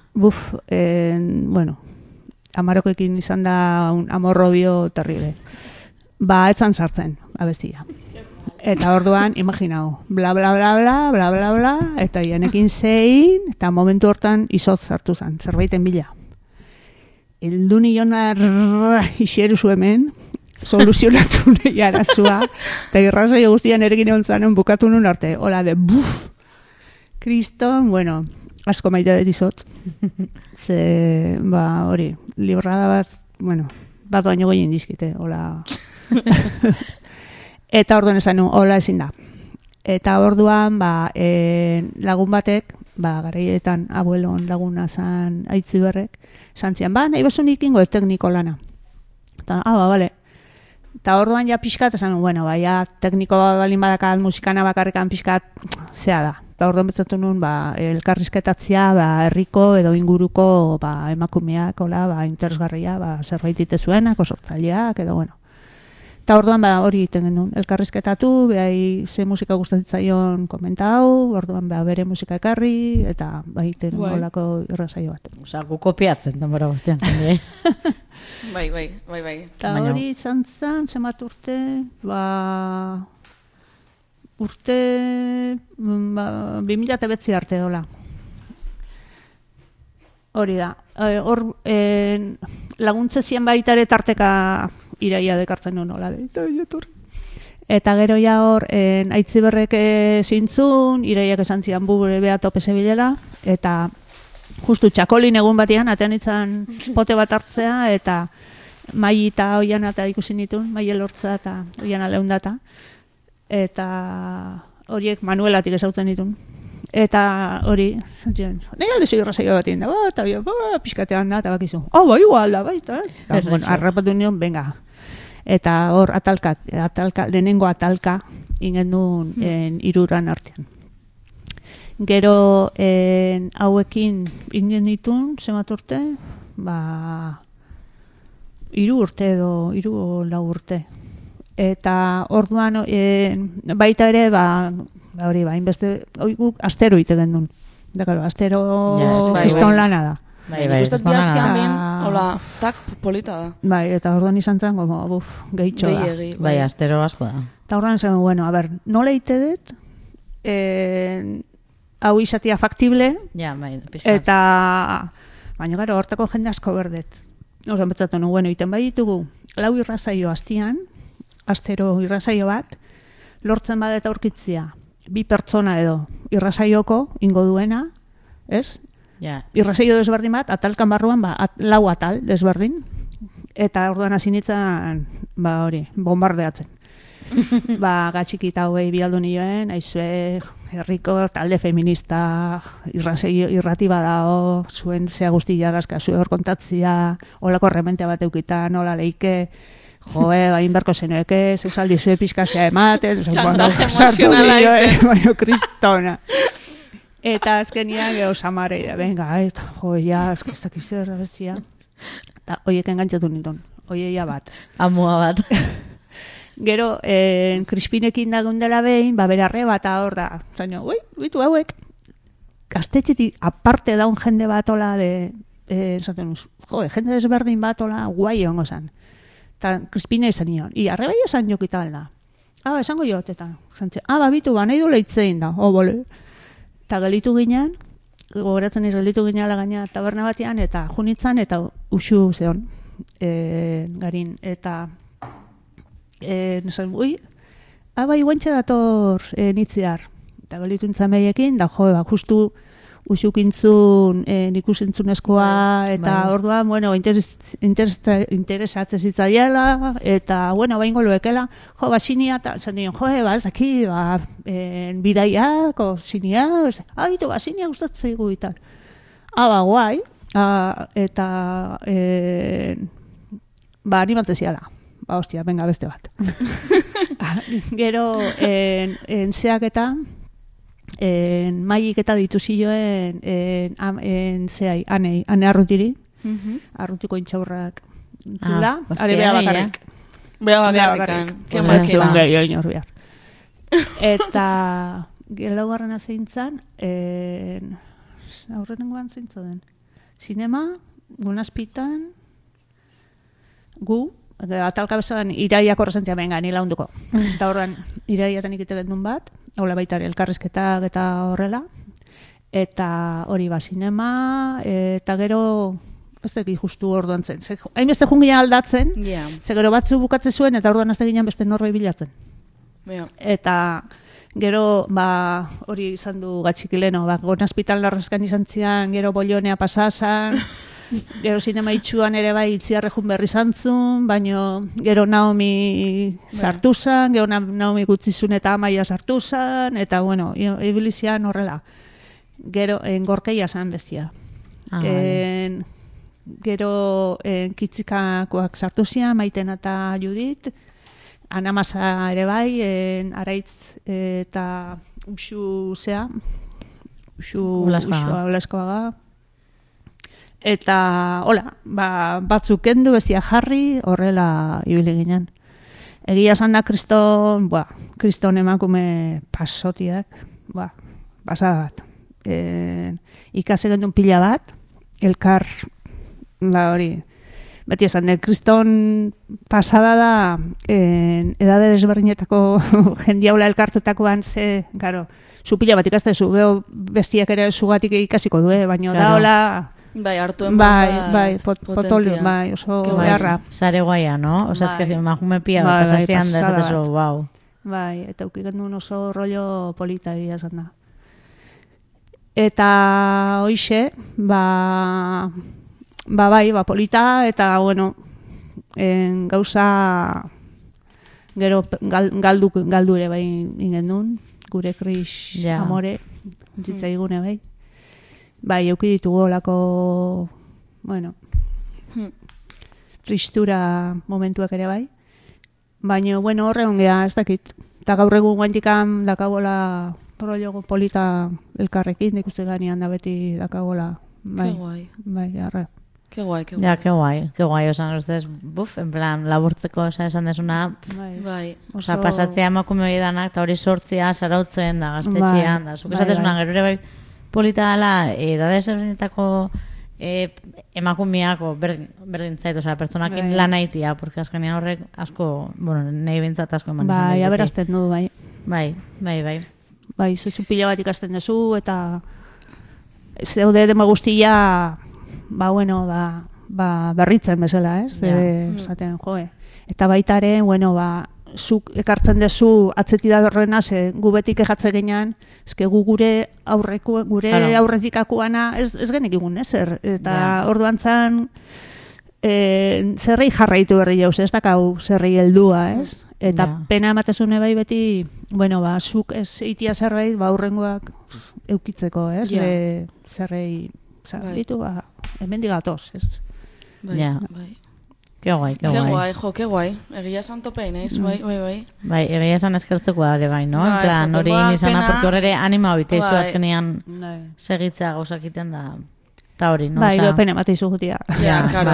Speaker 10: Amarokekin izan da un amor-odio terrible. Etzan sartzen, abestia. Eta orduan, imaginau, bla, bla, bla, bla, bla, bla, bla, eta janekin zein, eta momentu hortan izotz sartu zen, zerbaiten bila. Eldu nionar iseruzu hemen, soluzionatu nahi arazua, eta irrasaio guztian erekin egon zanen bukatu nun arte, hola de buf, kriston, asko maite dut izotz. Ze, hori, librada bat, bat baino goien dizkite, hola... Eta orduan esan nuen, hola ezin da. Eta orduan, lagun batek, garaietan abuelon laguna zan Aitziberrek, esan zian, nahi bezu nik ingo tekniko lana. Eta, bale. Eta orduan ja pixkat, esan, bueno, baina tekniko balin badakat, musikana bakarrikan pixkat, zea da. Eta orduan betzatu nuen, elkarrizketatzea, herriko edo inguruko emakumeak, interesgarria, zerbait ite zuenak, sortzaileak, edo, bueno. Eta orduan hori egiten genuen, elkarrizketatu, behai ze musika gustatzen komentau, orduan bere musika ekarri, eta egiten olako irrasaio bat.
Speaker 1: Osa, gu kopiatzen, denbora guztian.
Speaker 2: Bai.
Speaker 10: Eta hori izan zen, zemat urte, urte 2009 arte dola. Hori da. Hor laguntze zien baitare tarteka iraia dekartzen nuen nola. Eta gero ja hor Aitziberrek zintzun, iraiak esan zian bure beha tope zebilela, eta justu txakolin egun batean, atean itzan pote bat hartzea, eta mai eta oian eta ikusi nituen, mai elortza eta oian aleundata. Eta horiek Manuelatik ezautzen ditun. Eta hori, zantzien, nahi aldezu irrazaio bat inda, eta pixkatean da, eta bakizu. Bai, igual da, bai, eta arrapatu nion, venga. Eta hor lehenengo atalka ingen duen iruran artean. Gero hauekin ingen ditun, zemat urte, 3 urte edo 4 urte. Eta orduan baita ere, hori, inbeste, guk astero ite gendun. Dakaro, astero kiston lana da.
Speaker 2: Bai, ustez bi hastian bin, hola, tak polita da.
Speaker 10: Bai, eta orduan izan zen, gehitxo da.
Speaker 1: Bai, astero asko da.
Speaker 10: Eta orduan zen, bueno, a ber, nola ite dut, hau izatea faktible, eta, baina gara, hortako jende asko berdet. Orduan betzatu, bueno, iten bai ditugu, 4 irrazaio hastian, astero irrazaio bat, lortzen badet aurkitzia, 2 pertsona edo irrazaioko ingo duena, ez? Irrazaio desberdin bat, atalkan barruan, 4 atal desberdin, eta orduan hasi nintzen, hori, bombardeatzen. Gatxikita hauei bialdu nioen, aizue, herriko talde feminista, irrati badao, zuen zea guztia dazka, zue hor kontatzia, holako rementea bat eukita, nola leike, bain berko zenueke, zeusaldi zue pizkazea ematen,
Speaker 2: txantaje emozionala
Speaker 10: baina kristona. Eta azkenian geho samarei da, venga, azkaztak izer da bestia. Eta hoiek engantzatu nintun, hoieia bat.
Speaker 1: Amua bat.
Speaker 10: Gero, Crispinekin dagun dela behin, berarre bat hor da. Zaino, bitu hauek, gaztetxetik aparte daun jende bat ola esaten uz, jende desberdin bat ola guai hongo zan. Eta Crispine esan nion, arre bai esan jokita alda. Esango jotetan. Bitu, nahi du leitzein da, bole. Eta gelitu ginen, gogoratzen ez gelitu ginen gaina taberna batean, eta junitzan, eta usu zehon, garin, eta nesan, guantxe dator nitziar. Eta gelitu nintzen behiekin, da justu usukintzun ikusentzunezkoa, eta orduan, interesatzen zitzaiela, eta, baingo loekela, sinia, eta zan dion, zaki, bidaiak, sinia, sinia gustatzen zaigu, eta, guai, eta, animatzen ziala, hostia, venga, beste bat. Gero, zeak eta, maik eta dituzioen ane arrutiri, arrutiko intxaurrak zula, are beha bakarrik.
Speaker 2: Beha bakarrik.
Speaker 10: Eta laugarren azeintzan, aurrenengoan zeintzo den, sinema, gunazpitan, gu, atalka bezan iraiak horrezentzia benga, nila hunduko. Eta horren, iraiatan ikitelen duen bat, hola baita elkarrizketak eta horrela, eta hori sinema, eta gero, ez dakit justu orduan zen. Hain beste jungian aldatzen, ze gero batzu bukatze zuen, eta orduan azte ginen beste norbait bilatzen. Eta gero, hori izan du gatxikileno, gonazpital larrezkan izan zian, gero bolionea pasazan, gero sinema itxuan ere bai itziarrejun berri zantzun, baino gero Naomi sartu zan, gero Naomi gutzizun eta Amaia sartu zan, eta ibilizian horrela. Gero engorkeia zan bestia. Gero kitzikakoak sartu zian, Maiten eta Judit, Anamasa ere bai, Araitz eta Uxu zea, Olaskoaga. Eta, hola, batzuk kendu, bestia jarri, horrela ibili ginen. Egia esan da kriston emakume pasotiak, pasada bat. Ikase gendun pila bat, elkar, hori, beti esan da, kriston pasada da, edade desberdinetako jendiaula elkartutakoan ze, garo, zu pila bat ikastezu, geho bestiak ere zugatik ikasiko du, baina da, hola,
Speaker 2: bai, hartuen
Speaker 10: potolio, bai, oso beharra.
Speaker 1: Sare guaia, no? Osa, eske emakume pia, pasasean da, esatezu, wow.
Speaker 10: Bai, eta ukigendun oso rollo polita egia esan da. Eta hoixe, polita, eta, bueno, gauza gero galdu ere bai ingendun, gure Kris amore, zitzaigune bai. Bai, euki ditugu olako, bueno, tristura momentuak ere bai. Baina, bueno, horre ongea, ez dakit. Eta gaur egun guantikan dakagola rollo polita elkarrekin, ikuste ganean da beti dakagola. Bai,
Speaker 2: ke guai.
Speaker 10: Bai, arra.
Speaker 2: Ke guai.
Speaker 1: Ja, ke guai, osan, ustez, en plan, laburtzeko, esan desuna, osa, pasatzea emakume hori danak, eta hori sortzea, sarautzen, da, gaztetxean, da, zuk esatezuna, gero ere bai, polita dela, edade ezberdinetako emakumeak berdin zait, oza, pertsonakin lan haitia, porque azkenean horrek asko, bueno, nahi bintzat asko eman.
Speaker 10: Bai, aberazten du, bai.
Speaker 1: Bai.
Speaker 10: Bai, zuzu pila bat ikasten duzu, eta zeude dema guztia, berritzen bezala, ez? Zaten, joe. Eta baitaren, zuk ekartzen dezu atzeti da horrena, ze gu betik ejatzen genean, ezke gu gure aurretikakoana ez genek egun, ezer. Eta orduan zan, zerrei jarraitu berri jauz, ez dakau zerrei heldua, ez? Eta pena ematezune bai beti, zuk ez eitia zerbait, aurrengoak eukitzeko, ez? Zerrei, bitu, hemen digatoz, ez?
Speaker 2: Bai.
Speaker 1: Ke guai.
Speaker 2: Ke guai. Egia esan topein, ez? Bai.
Speaker 1: Bai, egia esan eskertzeko da ere bai, no? En plan, hori nizana, porque horre anima biteizu azkenean segitzea gauzakiten da, eta hori, no?
Speaker 10: Bai, pena mateizu gutia.
Speaker 2: Ja, karo.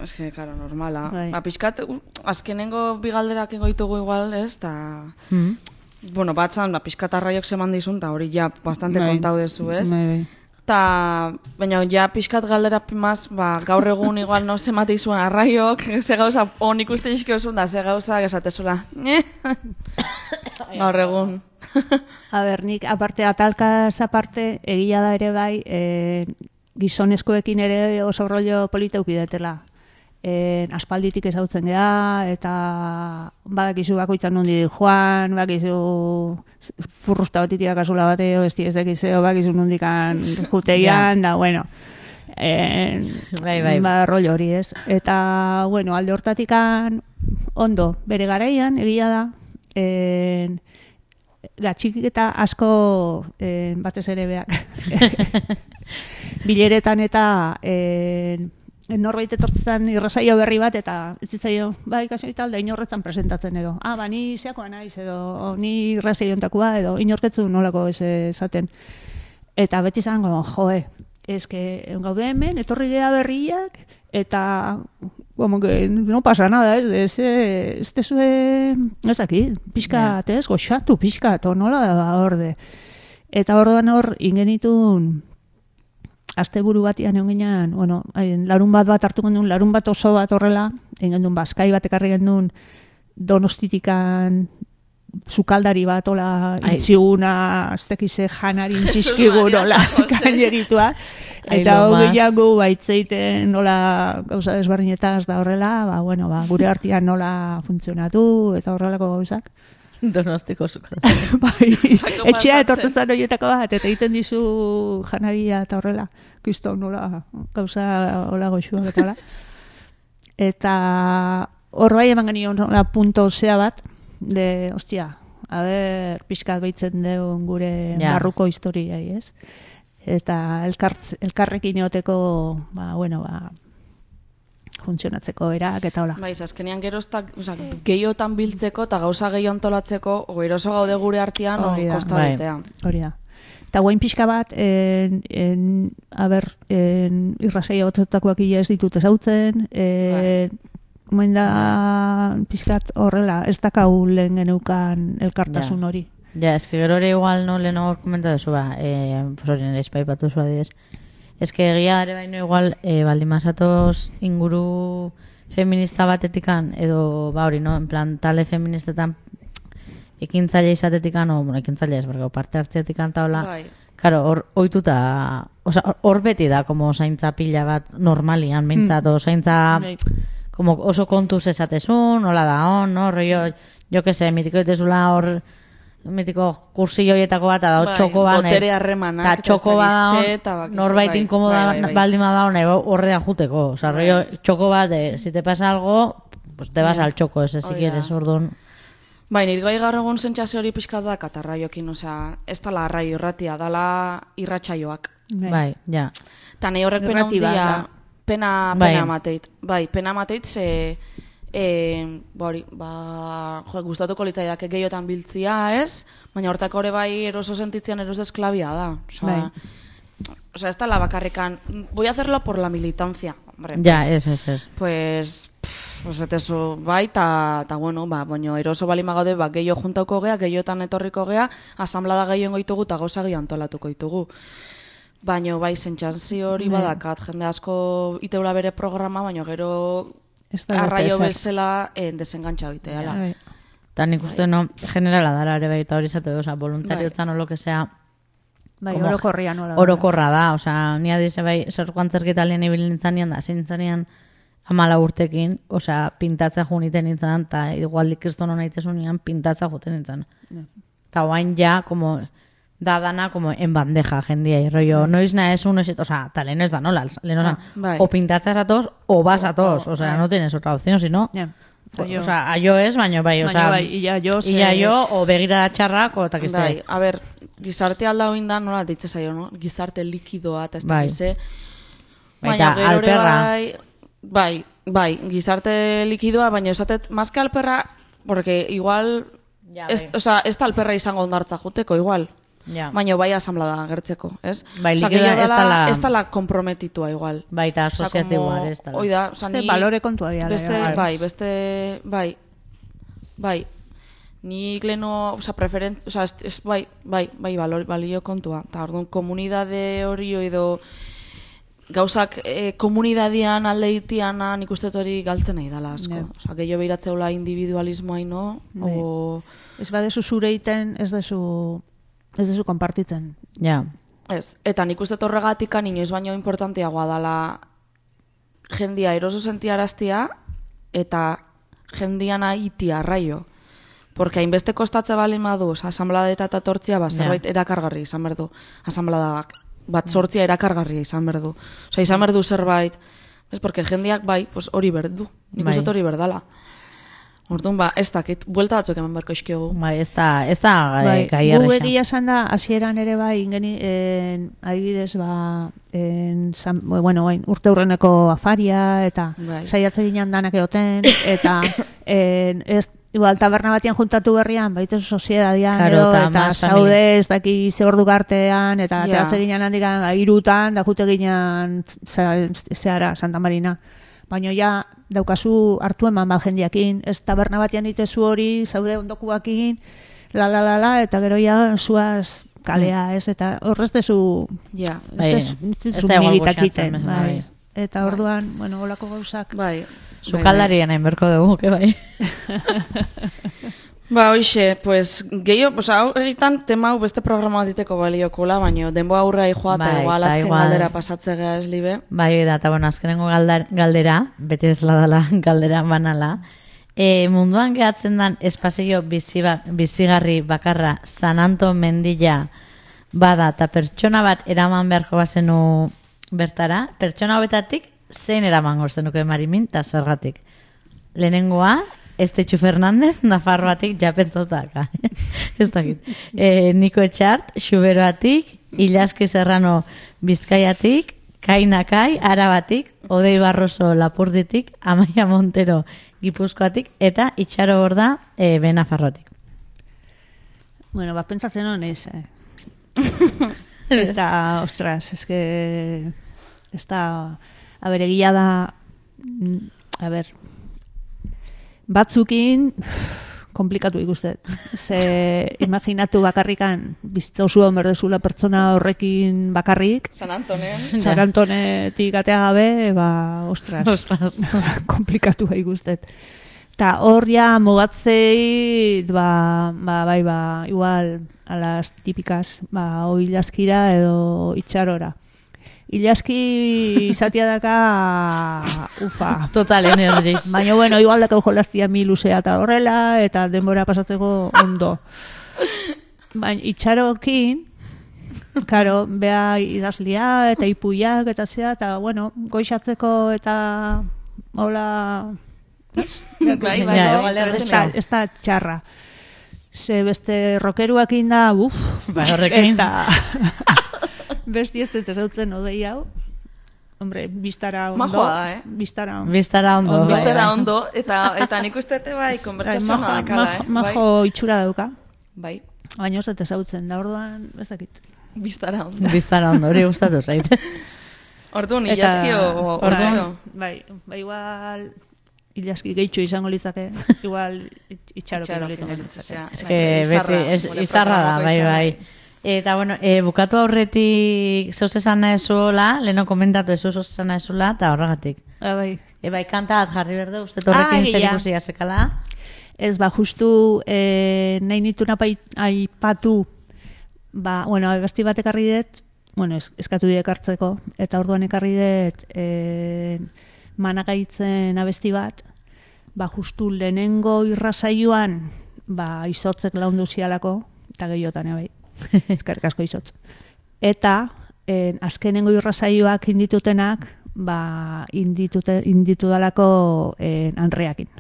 Speaker 2: Ez que, karo, normala. Piskat, azkenengo bigalderak egoitugu igual, ez? Bueno, batzan, piskat arraiok zeman dizun, eta hori ja bastante kontau dezu, ez? Baina ja pixkat galdera pimaz, gaur egun igual no zemate izuen arraiok, ze gauza on ikuste izkiozun da, ze gauza esatezula. Gaur egun.
Speaker 10: A ber, nik aparte atalkaz aparte, egia da ere bai, gizonezkoekin ere oso rollo polita ukidetela. Aspalditik ezautzen geha, eta badakizu bakoitzan nondi joan, bakizu furrusta batitiak azula bateo, ez dakizeo, bakizu nondikan juteian, da, bueno, rollo hori ez. Eta, bueno, alde hortatikan ondo, bere garaian, egia da, la txikiketa asko batez ere beak. Bileretan eta norbait etortzen irrasaio berri bat, eta ez zitzaio, ikasio eta alda inorretzan presentatzen edo. Ni zeakoa naiz edo, ni irrasaio ontakoa edo, inorketzu nolako ez esaten. Eta beti zango, eske gaude hemen, etorri geha berriak, eta, como que no pasa nada, ez tezue, ez daki, pixkat, ez, goxatu pixkat, nola da orde. Eta orduan hor, ingenitun, asteburu batian egon ginean, larun bat hartu gendun, larun bat oso bat horrela, egin gendun, Baskai bat ekarri gendun, Donostitikan sukaldari bat, ola, intziguna, aztekize janarin txiskigun, ola, gaineritua. Eta hori jangu, baitzeiten, nola, gauza desbarrinetaz da horrela, gure artian nola funtzionatu, eta horrelako gauzak.
Speaker 1: Donostiko sukaldari.
Speaker 10: Etxea etortuzan horietako bat, eta egiten dizu janaria eta horrela, kriston nola, gauza hola goxuak eta hola. Eta hor bai eman genion punto zea bat, de, ostia, pixkat behitzen deun gure barruko historiai, ez? Eta elkarrekin eoteko, funtzionatzeko erak eta hola.
Speaker 2: Bai, azkenean geroztak, gehiotan biltzeko eta gauza gehiago antolatzeko, eroso gaude gure artean, kosta betea.
Speaker 10: Hori da. Eta guain pixka bat, irrasaia gotzetakoak ez ditut ezautzen, Moin da pixkat horrela, ez dakau lehen geneukan elkartasun hori.
Speaker 1: Ja, eske gero ere igual no lehen hor komentatu zu hori nire espaipatu zu adidez. Eske egia ere baino igual baldin mazatoz inguru feminista batetikan edo hori no, en plan talde feministetan ekintzaile izatetikan ekintzaile ez bergau parte hartzeatikan taola. Claro, hor ohituta, hor beti da como zaintza pila bat normalian mintzat o zaintza como oso kontuz esatezun, hola da on, no? Rollo, yo que sé, mitiko ditezula hor, mitiko kursillo hietako bat, da txoko ban,
Speaker 2: botere harremanak,
Speaker 1: eta txoko bat, norbait inkomoda baldin bada hon, horrea juteko. O sea, rollo, txoko bat, si te pasa algo, pues te vas al txoko, ese si quieres, orduan.
Speaker 2: Bai, nire gai gaur egun sentsazio hori pixka da katarraiokin, osea, ez tala arraio irratia, dala irratsaioak.
Speaker 1: Bai, ja.
Speaker 2: Ta nahi horrek pena hundia, pena mateit. Bai, pena mateit ze, gustatuko litzaidak gehiotan biltzia, ez? Baina hortako hori bai eroso sentitzean eros desklabia da. Osea, ez tala bakarrikan, voy a hacerlo por la militancia. Hombre,
Speaker 1: ja, ez.
Speaker 2: Pues etezu, bai, eta bueno, baina eroso bali magaude, gehiago juntauko gea, gehiotan etorriko gea, asamblada gehioen goitugu eta gauza gehiago antolatuko ditugu. Baina bai, sentsazio hori badakat, jende asko iteula bere programa, baina gero arraio bezala desengantxa oiteala.
Speaker 1: Eta nik uste, no, generala dara ere baita hori zate, oza, voluntariotzan o lo que sea,
Speaker 10: bai, orokorria nola.
Speaker 1: Orokorra da, oza, nia dize bai, zerko antzerketa lehen ibil nintzanean da, zintzanean 14 urtekin, oza, pintatza juniten nintzen, eta igual kriston hona itezunean pintatza juten nintzen. Eta oain ja, como, da dana, como en bandeja, jendia, y rollo, noiz nahez uno, oza, eta lehen ez da nola, o pintatza esatoz, o vas a todos, oza, no tienes otra opción, sino... Osa, aio ez, baina bai, osa,
Speaker 10: ia
Speaker 1: jo, o begirada txarrak, o takize.
Speaker 2: Bai, a ber, gizarte alda hoin da, nola ditze zaio, no? Gizarte likidoa, eta ez takize. Baina gero bai, gizarte likidoa, baina esatet, mazke alperra, porque igual, ez da alperra izango ondartza juteko, igual. Baina bai asamblada gertzeko, ez?
Speaker 1: Bai, likidoa
Speaker 2: ez tala komprometitua igual.
Speaker 1: Bai, eta asociatiboa ez tala.
Speaker 2: Oida,
Speaker 10: balore kontua diala.
Speaker 2: Bai, nik leno, bai, balio kontua. Eta orduan, komunidade hori edo gauzak komunidadian aldeitian nik uste hori galtzen nahi dala asko. Osa, gehiago behiratzeula individualismoa ino,
Speaker 10: ez badezu zure iten, ez dezu konpartitzen.
Speaker 1: Ja.
Speaker 2: Ez, eta nik uste horregatik inoiz baino importanteagoa dala jendia eroso sentiaraztia eta jendiana iti arraio. Porque hainbeste kostatze bali madu, asamblada eta tortzia, zerbait erakargarri izan berdu. Asamblada bat sortzia erakargarria izan berdu. Osa, izan berdu zerbait, porque jendiak bai, hori berdu. Nik uste hori berdala. Orduan, ez dakit, buelta batzuk eman barko iskiogu.
Speaker 1: Bai, ez da gai arrexan.
Speaker 10: Gu egia esan da, hasieran ere bai, adibidez, urte hurreneko afaria, eta saiatze ginen danak egoten, eta igual taberna batian juntatu berrian, baitzu soziedadian, eta zaude ez daki ze ordu gartean, eta teatze ginen handikan, irutan, da jute ginen zehara, Santa Marina. Baina ja, daukazu hartu eman bat jendiakin, ez taberna batean itezu hori, zaude ondokuakin, eta gero ja zuaz kalea, ez, eta horrez dezu migitakiten. Eta orduan, olako gauzak.
Speaker 1: Zukaldarien hain berko dugu, que bai.
Speaker 2: Hoxe, gehiago, egiten tema hau beste programa bat diteko baliokula, baina denboa aurra joa eta igual azken galdera pasatzea ez libe.
Speaker 1: Bai, eta azkenengo galdera, beti ez dela galdera banala. Munduan gehatzen den espazio bizigarri bakarra San Anto mendila bada eta pertsona bat eraman beharko bazenu bertara, pertsona hobetatik zein eraman gorzenuke Marimin eta zergatik. Lehenengoa, Estetxu Fernandez, Nafarroatik japentotak. Ez dakit. Niko Etxart, Xuberoatik, Ilaski Serrano Bizkaiatik, Kainakai, Arabatik, Odei Barroso Lapurditik, Amaia Montero Gipuzkoatik, eta Itxaro Borda Benafarrotik.
Speaker 10: Bueno, pentsatzen honez, Eta, ostras, a ber, egia da, a ber, batzukin, komplikatu ikustet. Ze, imaginatu bakarrikan, bizitza osu berdezula pertsona horrekin bakarrik.
Speaker 2: San
Speaker 10: Antonetik atea gabe, ostras, komplikatu ikustet. Eta hor ja mugatzei, igual, a las típicas, o Ilaskira edo Itxarora. Ilaski izatea daka, ufa.
Speaker 1: Total energies.
Speaker 10: Baina, bueno, igual daka jolaztia mi luzea eta horrela, eta denbora pasatzeko ondo. Baina, Itxarokin, karo, bea idazlia eta ipuiak eta zea, eta, bueno, goixatzeko eta hola... Ez da txarra. Ze beste rokeruakin da, eta besti ez dut ezautzen odei hau. Hombre, biztara ondo.
Speaker 2: Majoa da,
Speaker 1: Biztara ondo.
Speaker 2: Eta nik ustete bai, konbertsazioa dakala,
Speaker 10: Majo itxura dauka.
Speaker 2: Bai.
Speaker 10: Baina ez dut ezautzen, da orduan, ez dakit.
Speaker 2: Biztara
Speaker 1: ondo, hori gustatu zait.
Speaker 2: Orduan, Ilaskio.
Speaker 10: Bai, igual... Ilaski gehitxo izango litzake, igual Itxarokin litzake.
Speaker 1: Beti, izarra da, bai. Eta, bueno, bukatu aurretik zoz esan nahezuela, leheno komentatu zoz esan nahezuela, eta horregatik.
Speaker 10: Bai.
Speaker 1: Bai, kanta bat jarri berde, uste horrekin zer ikusi azekala.
Speaker 10: Ez, justu nahi nituna aipatu, bueno, abesti bat ekarri dut, bueno, eskatu dut ekartzeko, eta orduan ekarri dut... managaitzen abesti bat, justu lehenengo irrasaioan, izotzek laundu zialako, eta gehiotan, bai, ezkerrik asko izotz. Eta, azkenengo irrasaioak inditutenak, inditu dalako Andreakin.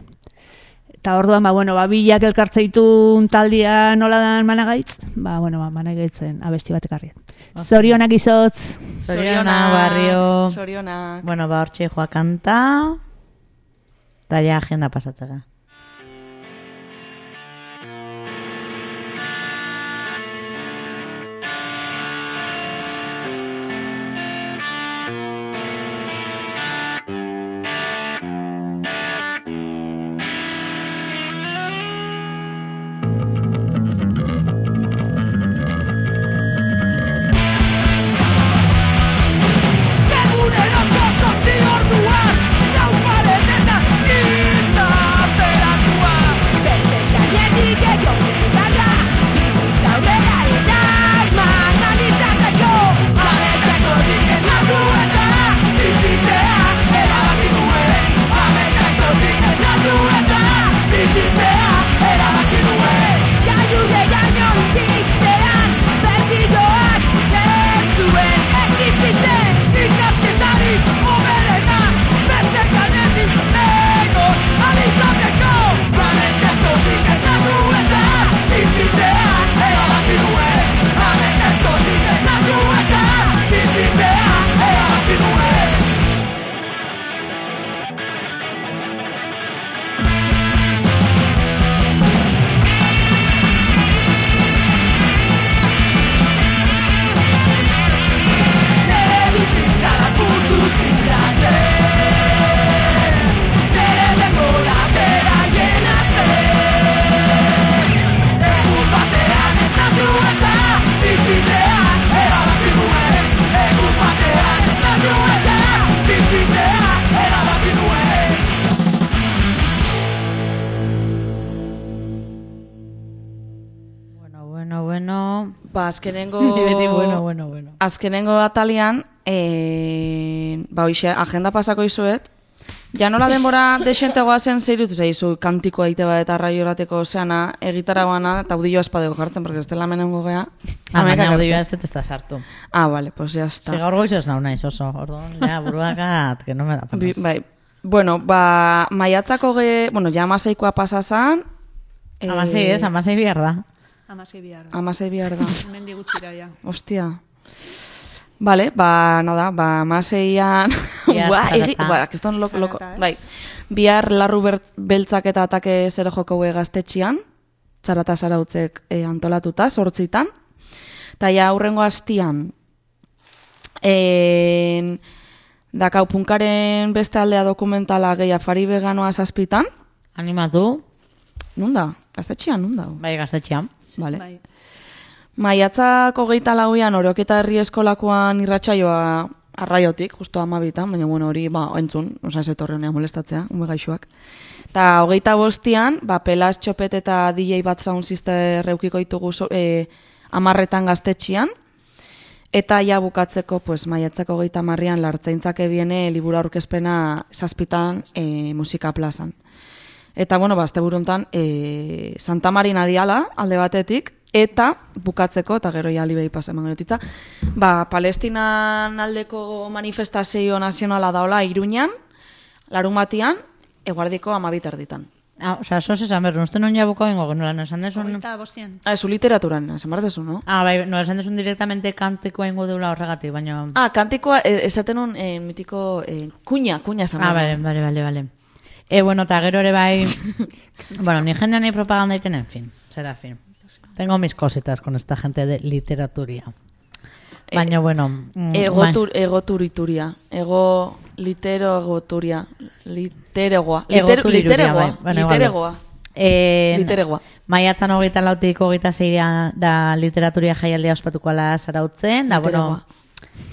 Speaker 10: Eta orduan, bilak elkartzeitun taldia nola dan managaitz, managaitzen abesti bat ekarrien. Zorionak izotz.
Speaker 1: Zorionak, barrio.
Speaker 2: Zorionak.
Speaker 1: Bueno, hortxe joa kanta. Eta ja agenda pasatzega.
Speaker 2: Azkenengo atalian, hoxe, agenda pasako izuet, ja nola denbora desentegoa zen zeirut zaizu kantikoa ite bat eta raiorateko zeana, egitara bana, eta audioa espadego jartzen, porque ez dela menengo gea.
Speaker 1: Baina audioa ez da sartu.
Speaker 2: Vale, pues ya está.
Speaker 1: Gaur goizo ez naunaiz oso, orduan, buruakat, que no me da panas.
Speaker 2: Bai, bueno, maiatzako ja amaseikoa pasazan.
Speaker 1: Amasei ez, bihar da.
Speaker 10: Amasei bihar da.
Speaker 2: Mendi gutxira, ja. Ostia. Vale, nada, maseian... Kiston loko. Bai, bihar larru beltzak eta atake zero joko gaztetxian, txarata zarautzek antolatuta, 8:00. Eta ja, aurrengo hastian, dakau punkaren beste aldea dokumentala gehi afari veganoa 7:00.
Speaker 1: Animatu.
Speaker 2: Nunda? Gaztetxian, nunda?
Speaker 1: Bai, gaztetxian.
Speaker 2: Vale. Bai. Maiatzak 24an Oroketa herri eskolakoan irratsaioa arraiotik, justo 12:00, baina bueno, hori, entzun, ez etorri honea molestatzea, gaixoak. Eta 25an, Pelas Txopet eta DJ Bat Sound Sister eukiko ditugu 10:00 gaztetxian, eta ja bukatzeko, maiatzak 30an Lartzaintzak ebiene liburu aurkezpena 7:00 musika plazan. Eta, bueno, asteburuntan Santa Marina diala, alde batetik, eta bukatzeko, eta gero ja libei pasa emango notitza, Palestinan aldeko manifestazio nazionala daola Iruñan, larunbatian, eguardiko 12:00.
Speaker 1: Osa, sos esan berru, uste non ja buka bengo, nola, no esan desun...
Speaker 2: Zu literaturan, esan behar desu, no?
Speaker 1: Bai, no, esan desun directamente kantikoa ingo deula horregatik, baina...
Speaker 2: Kantikoa, esaten un mitiko kuña esan behar.
Speaker 1: Bale. Bueno, eta gero ere bai... bueno, ni jendean ni propaganda iten, en fin, será fin. Tengo mis cositas con esta gente de literaturia. Baina, bueno...
Speaker 2: Egoturituria. Literegoa. Literegoa.
Speaker 1: Maiatzan 24tik 26 da literaturia jaialdia ospatukoala Zarautzen, da, bueno,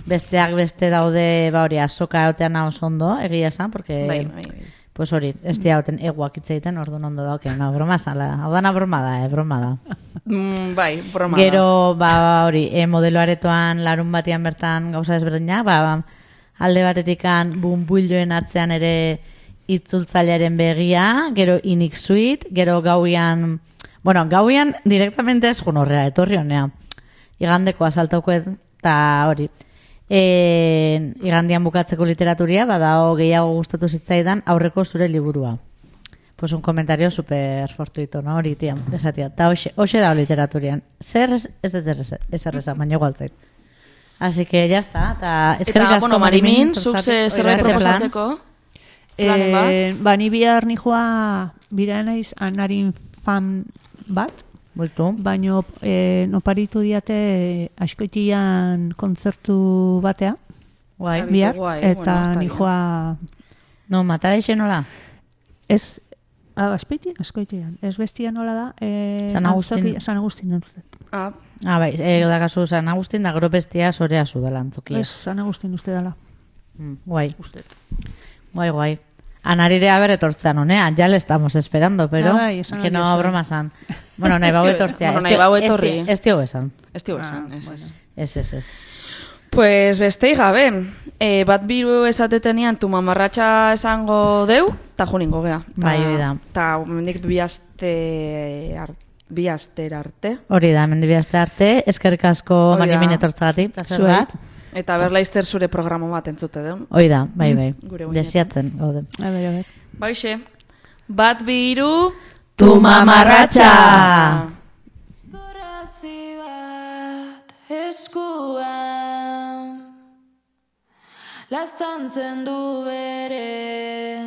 Speaker 1: besteak beste daude, hori, azoka egotean oso ondo, egia esan, porque...
Speaker 2: Bai.
Speaker 1: Pues hori, ez diagoten eguak itzeiten, orduan ondo da, broma zala. Hau dana broma da.
Speaker 2: Broma da.
Speaker 1: Gero, hori, modelo aretoan larun batian bertan gauza desberdinak, alde batetikan bumbuilloen atzean ere itzultzailearen begia, gero inik suite, gero gauian directamente ez junorrea, etorri honea. Igandeko asaltaukoet, eta hori. Igandian bukatzeko literaturia, badao gehiago gustatu zitzaidan aurreko zure liburua. Pues un comentario super fortuito, no? Hori, tia, esatia. Ta hoxe da literaturian. Zer ez erreza, baina igualtzait. Así que ya está.
Speaker 2: Eta, bueno, Marimin, zuk zerbait proposatzeko?
Speaker 10: Ni bihar nijoa bira naiz anarin fan bat, baina noparitu diate askoitian kontzertu batea, bihar, eta nijoa...
Speaker 1: No, mata deixen nola?
Speaker 10: Ez, askoitian, ez bestia nola da...
Speaker 1: San Agustin.
Speaker 10: San Agustin,
Speaker 1: Bai, dakazu San Agustin, da gero bestia sorea zu dela antzokia.
Speaker 10: Ez, San Agustin uste dela.
Speaker 1: Guai. Guai. Anarire haber etortzean honean, ya le estamos esperando, pero que no broma san. Bueno, nahi bau etortzea. Ez tio esan. Ez.
Speaker 2: Pues bestei gabe, bat biru esatetenian tu mamarratxa esango deu, eta juningo gea.
Speaker 1: Bai, hori da.
Speaker 2: Eta mendik bi aster arte.
Speaker 1: Hori da, mendik bi aster arte, eskerrik asko Marimin etortzagatik.
Speaker 2: Zuet. Eta berlaizter zure programa bat entzute den.
Speaker 1: Hoi da, bai. Desiatzen, gaude.
Speaker 2: Baixe. Bat biru...
Speaker 1: Tu mamarratxa!
Speaker 11: Gorazi bat eskuan laztantzen du bere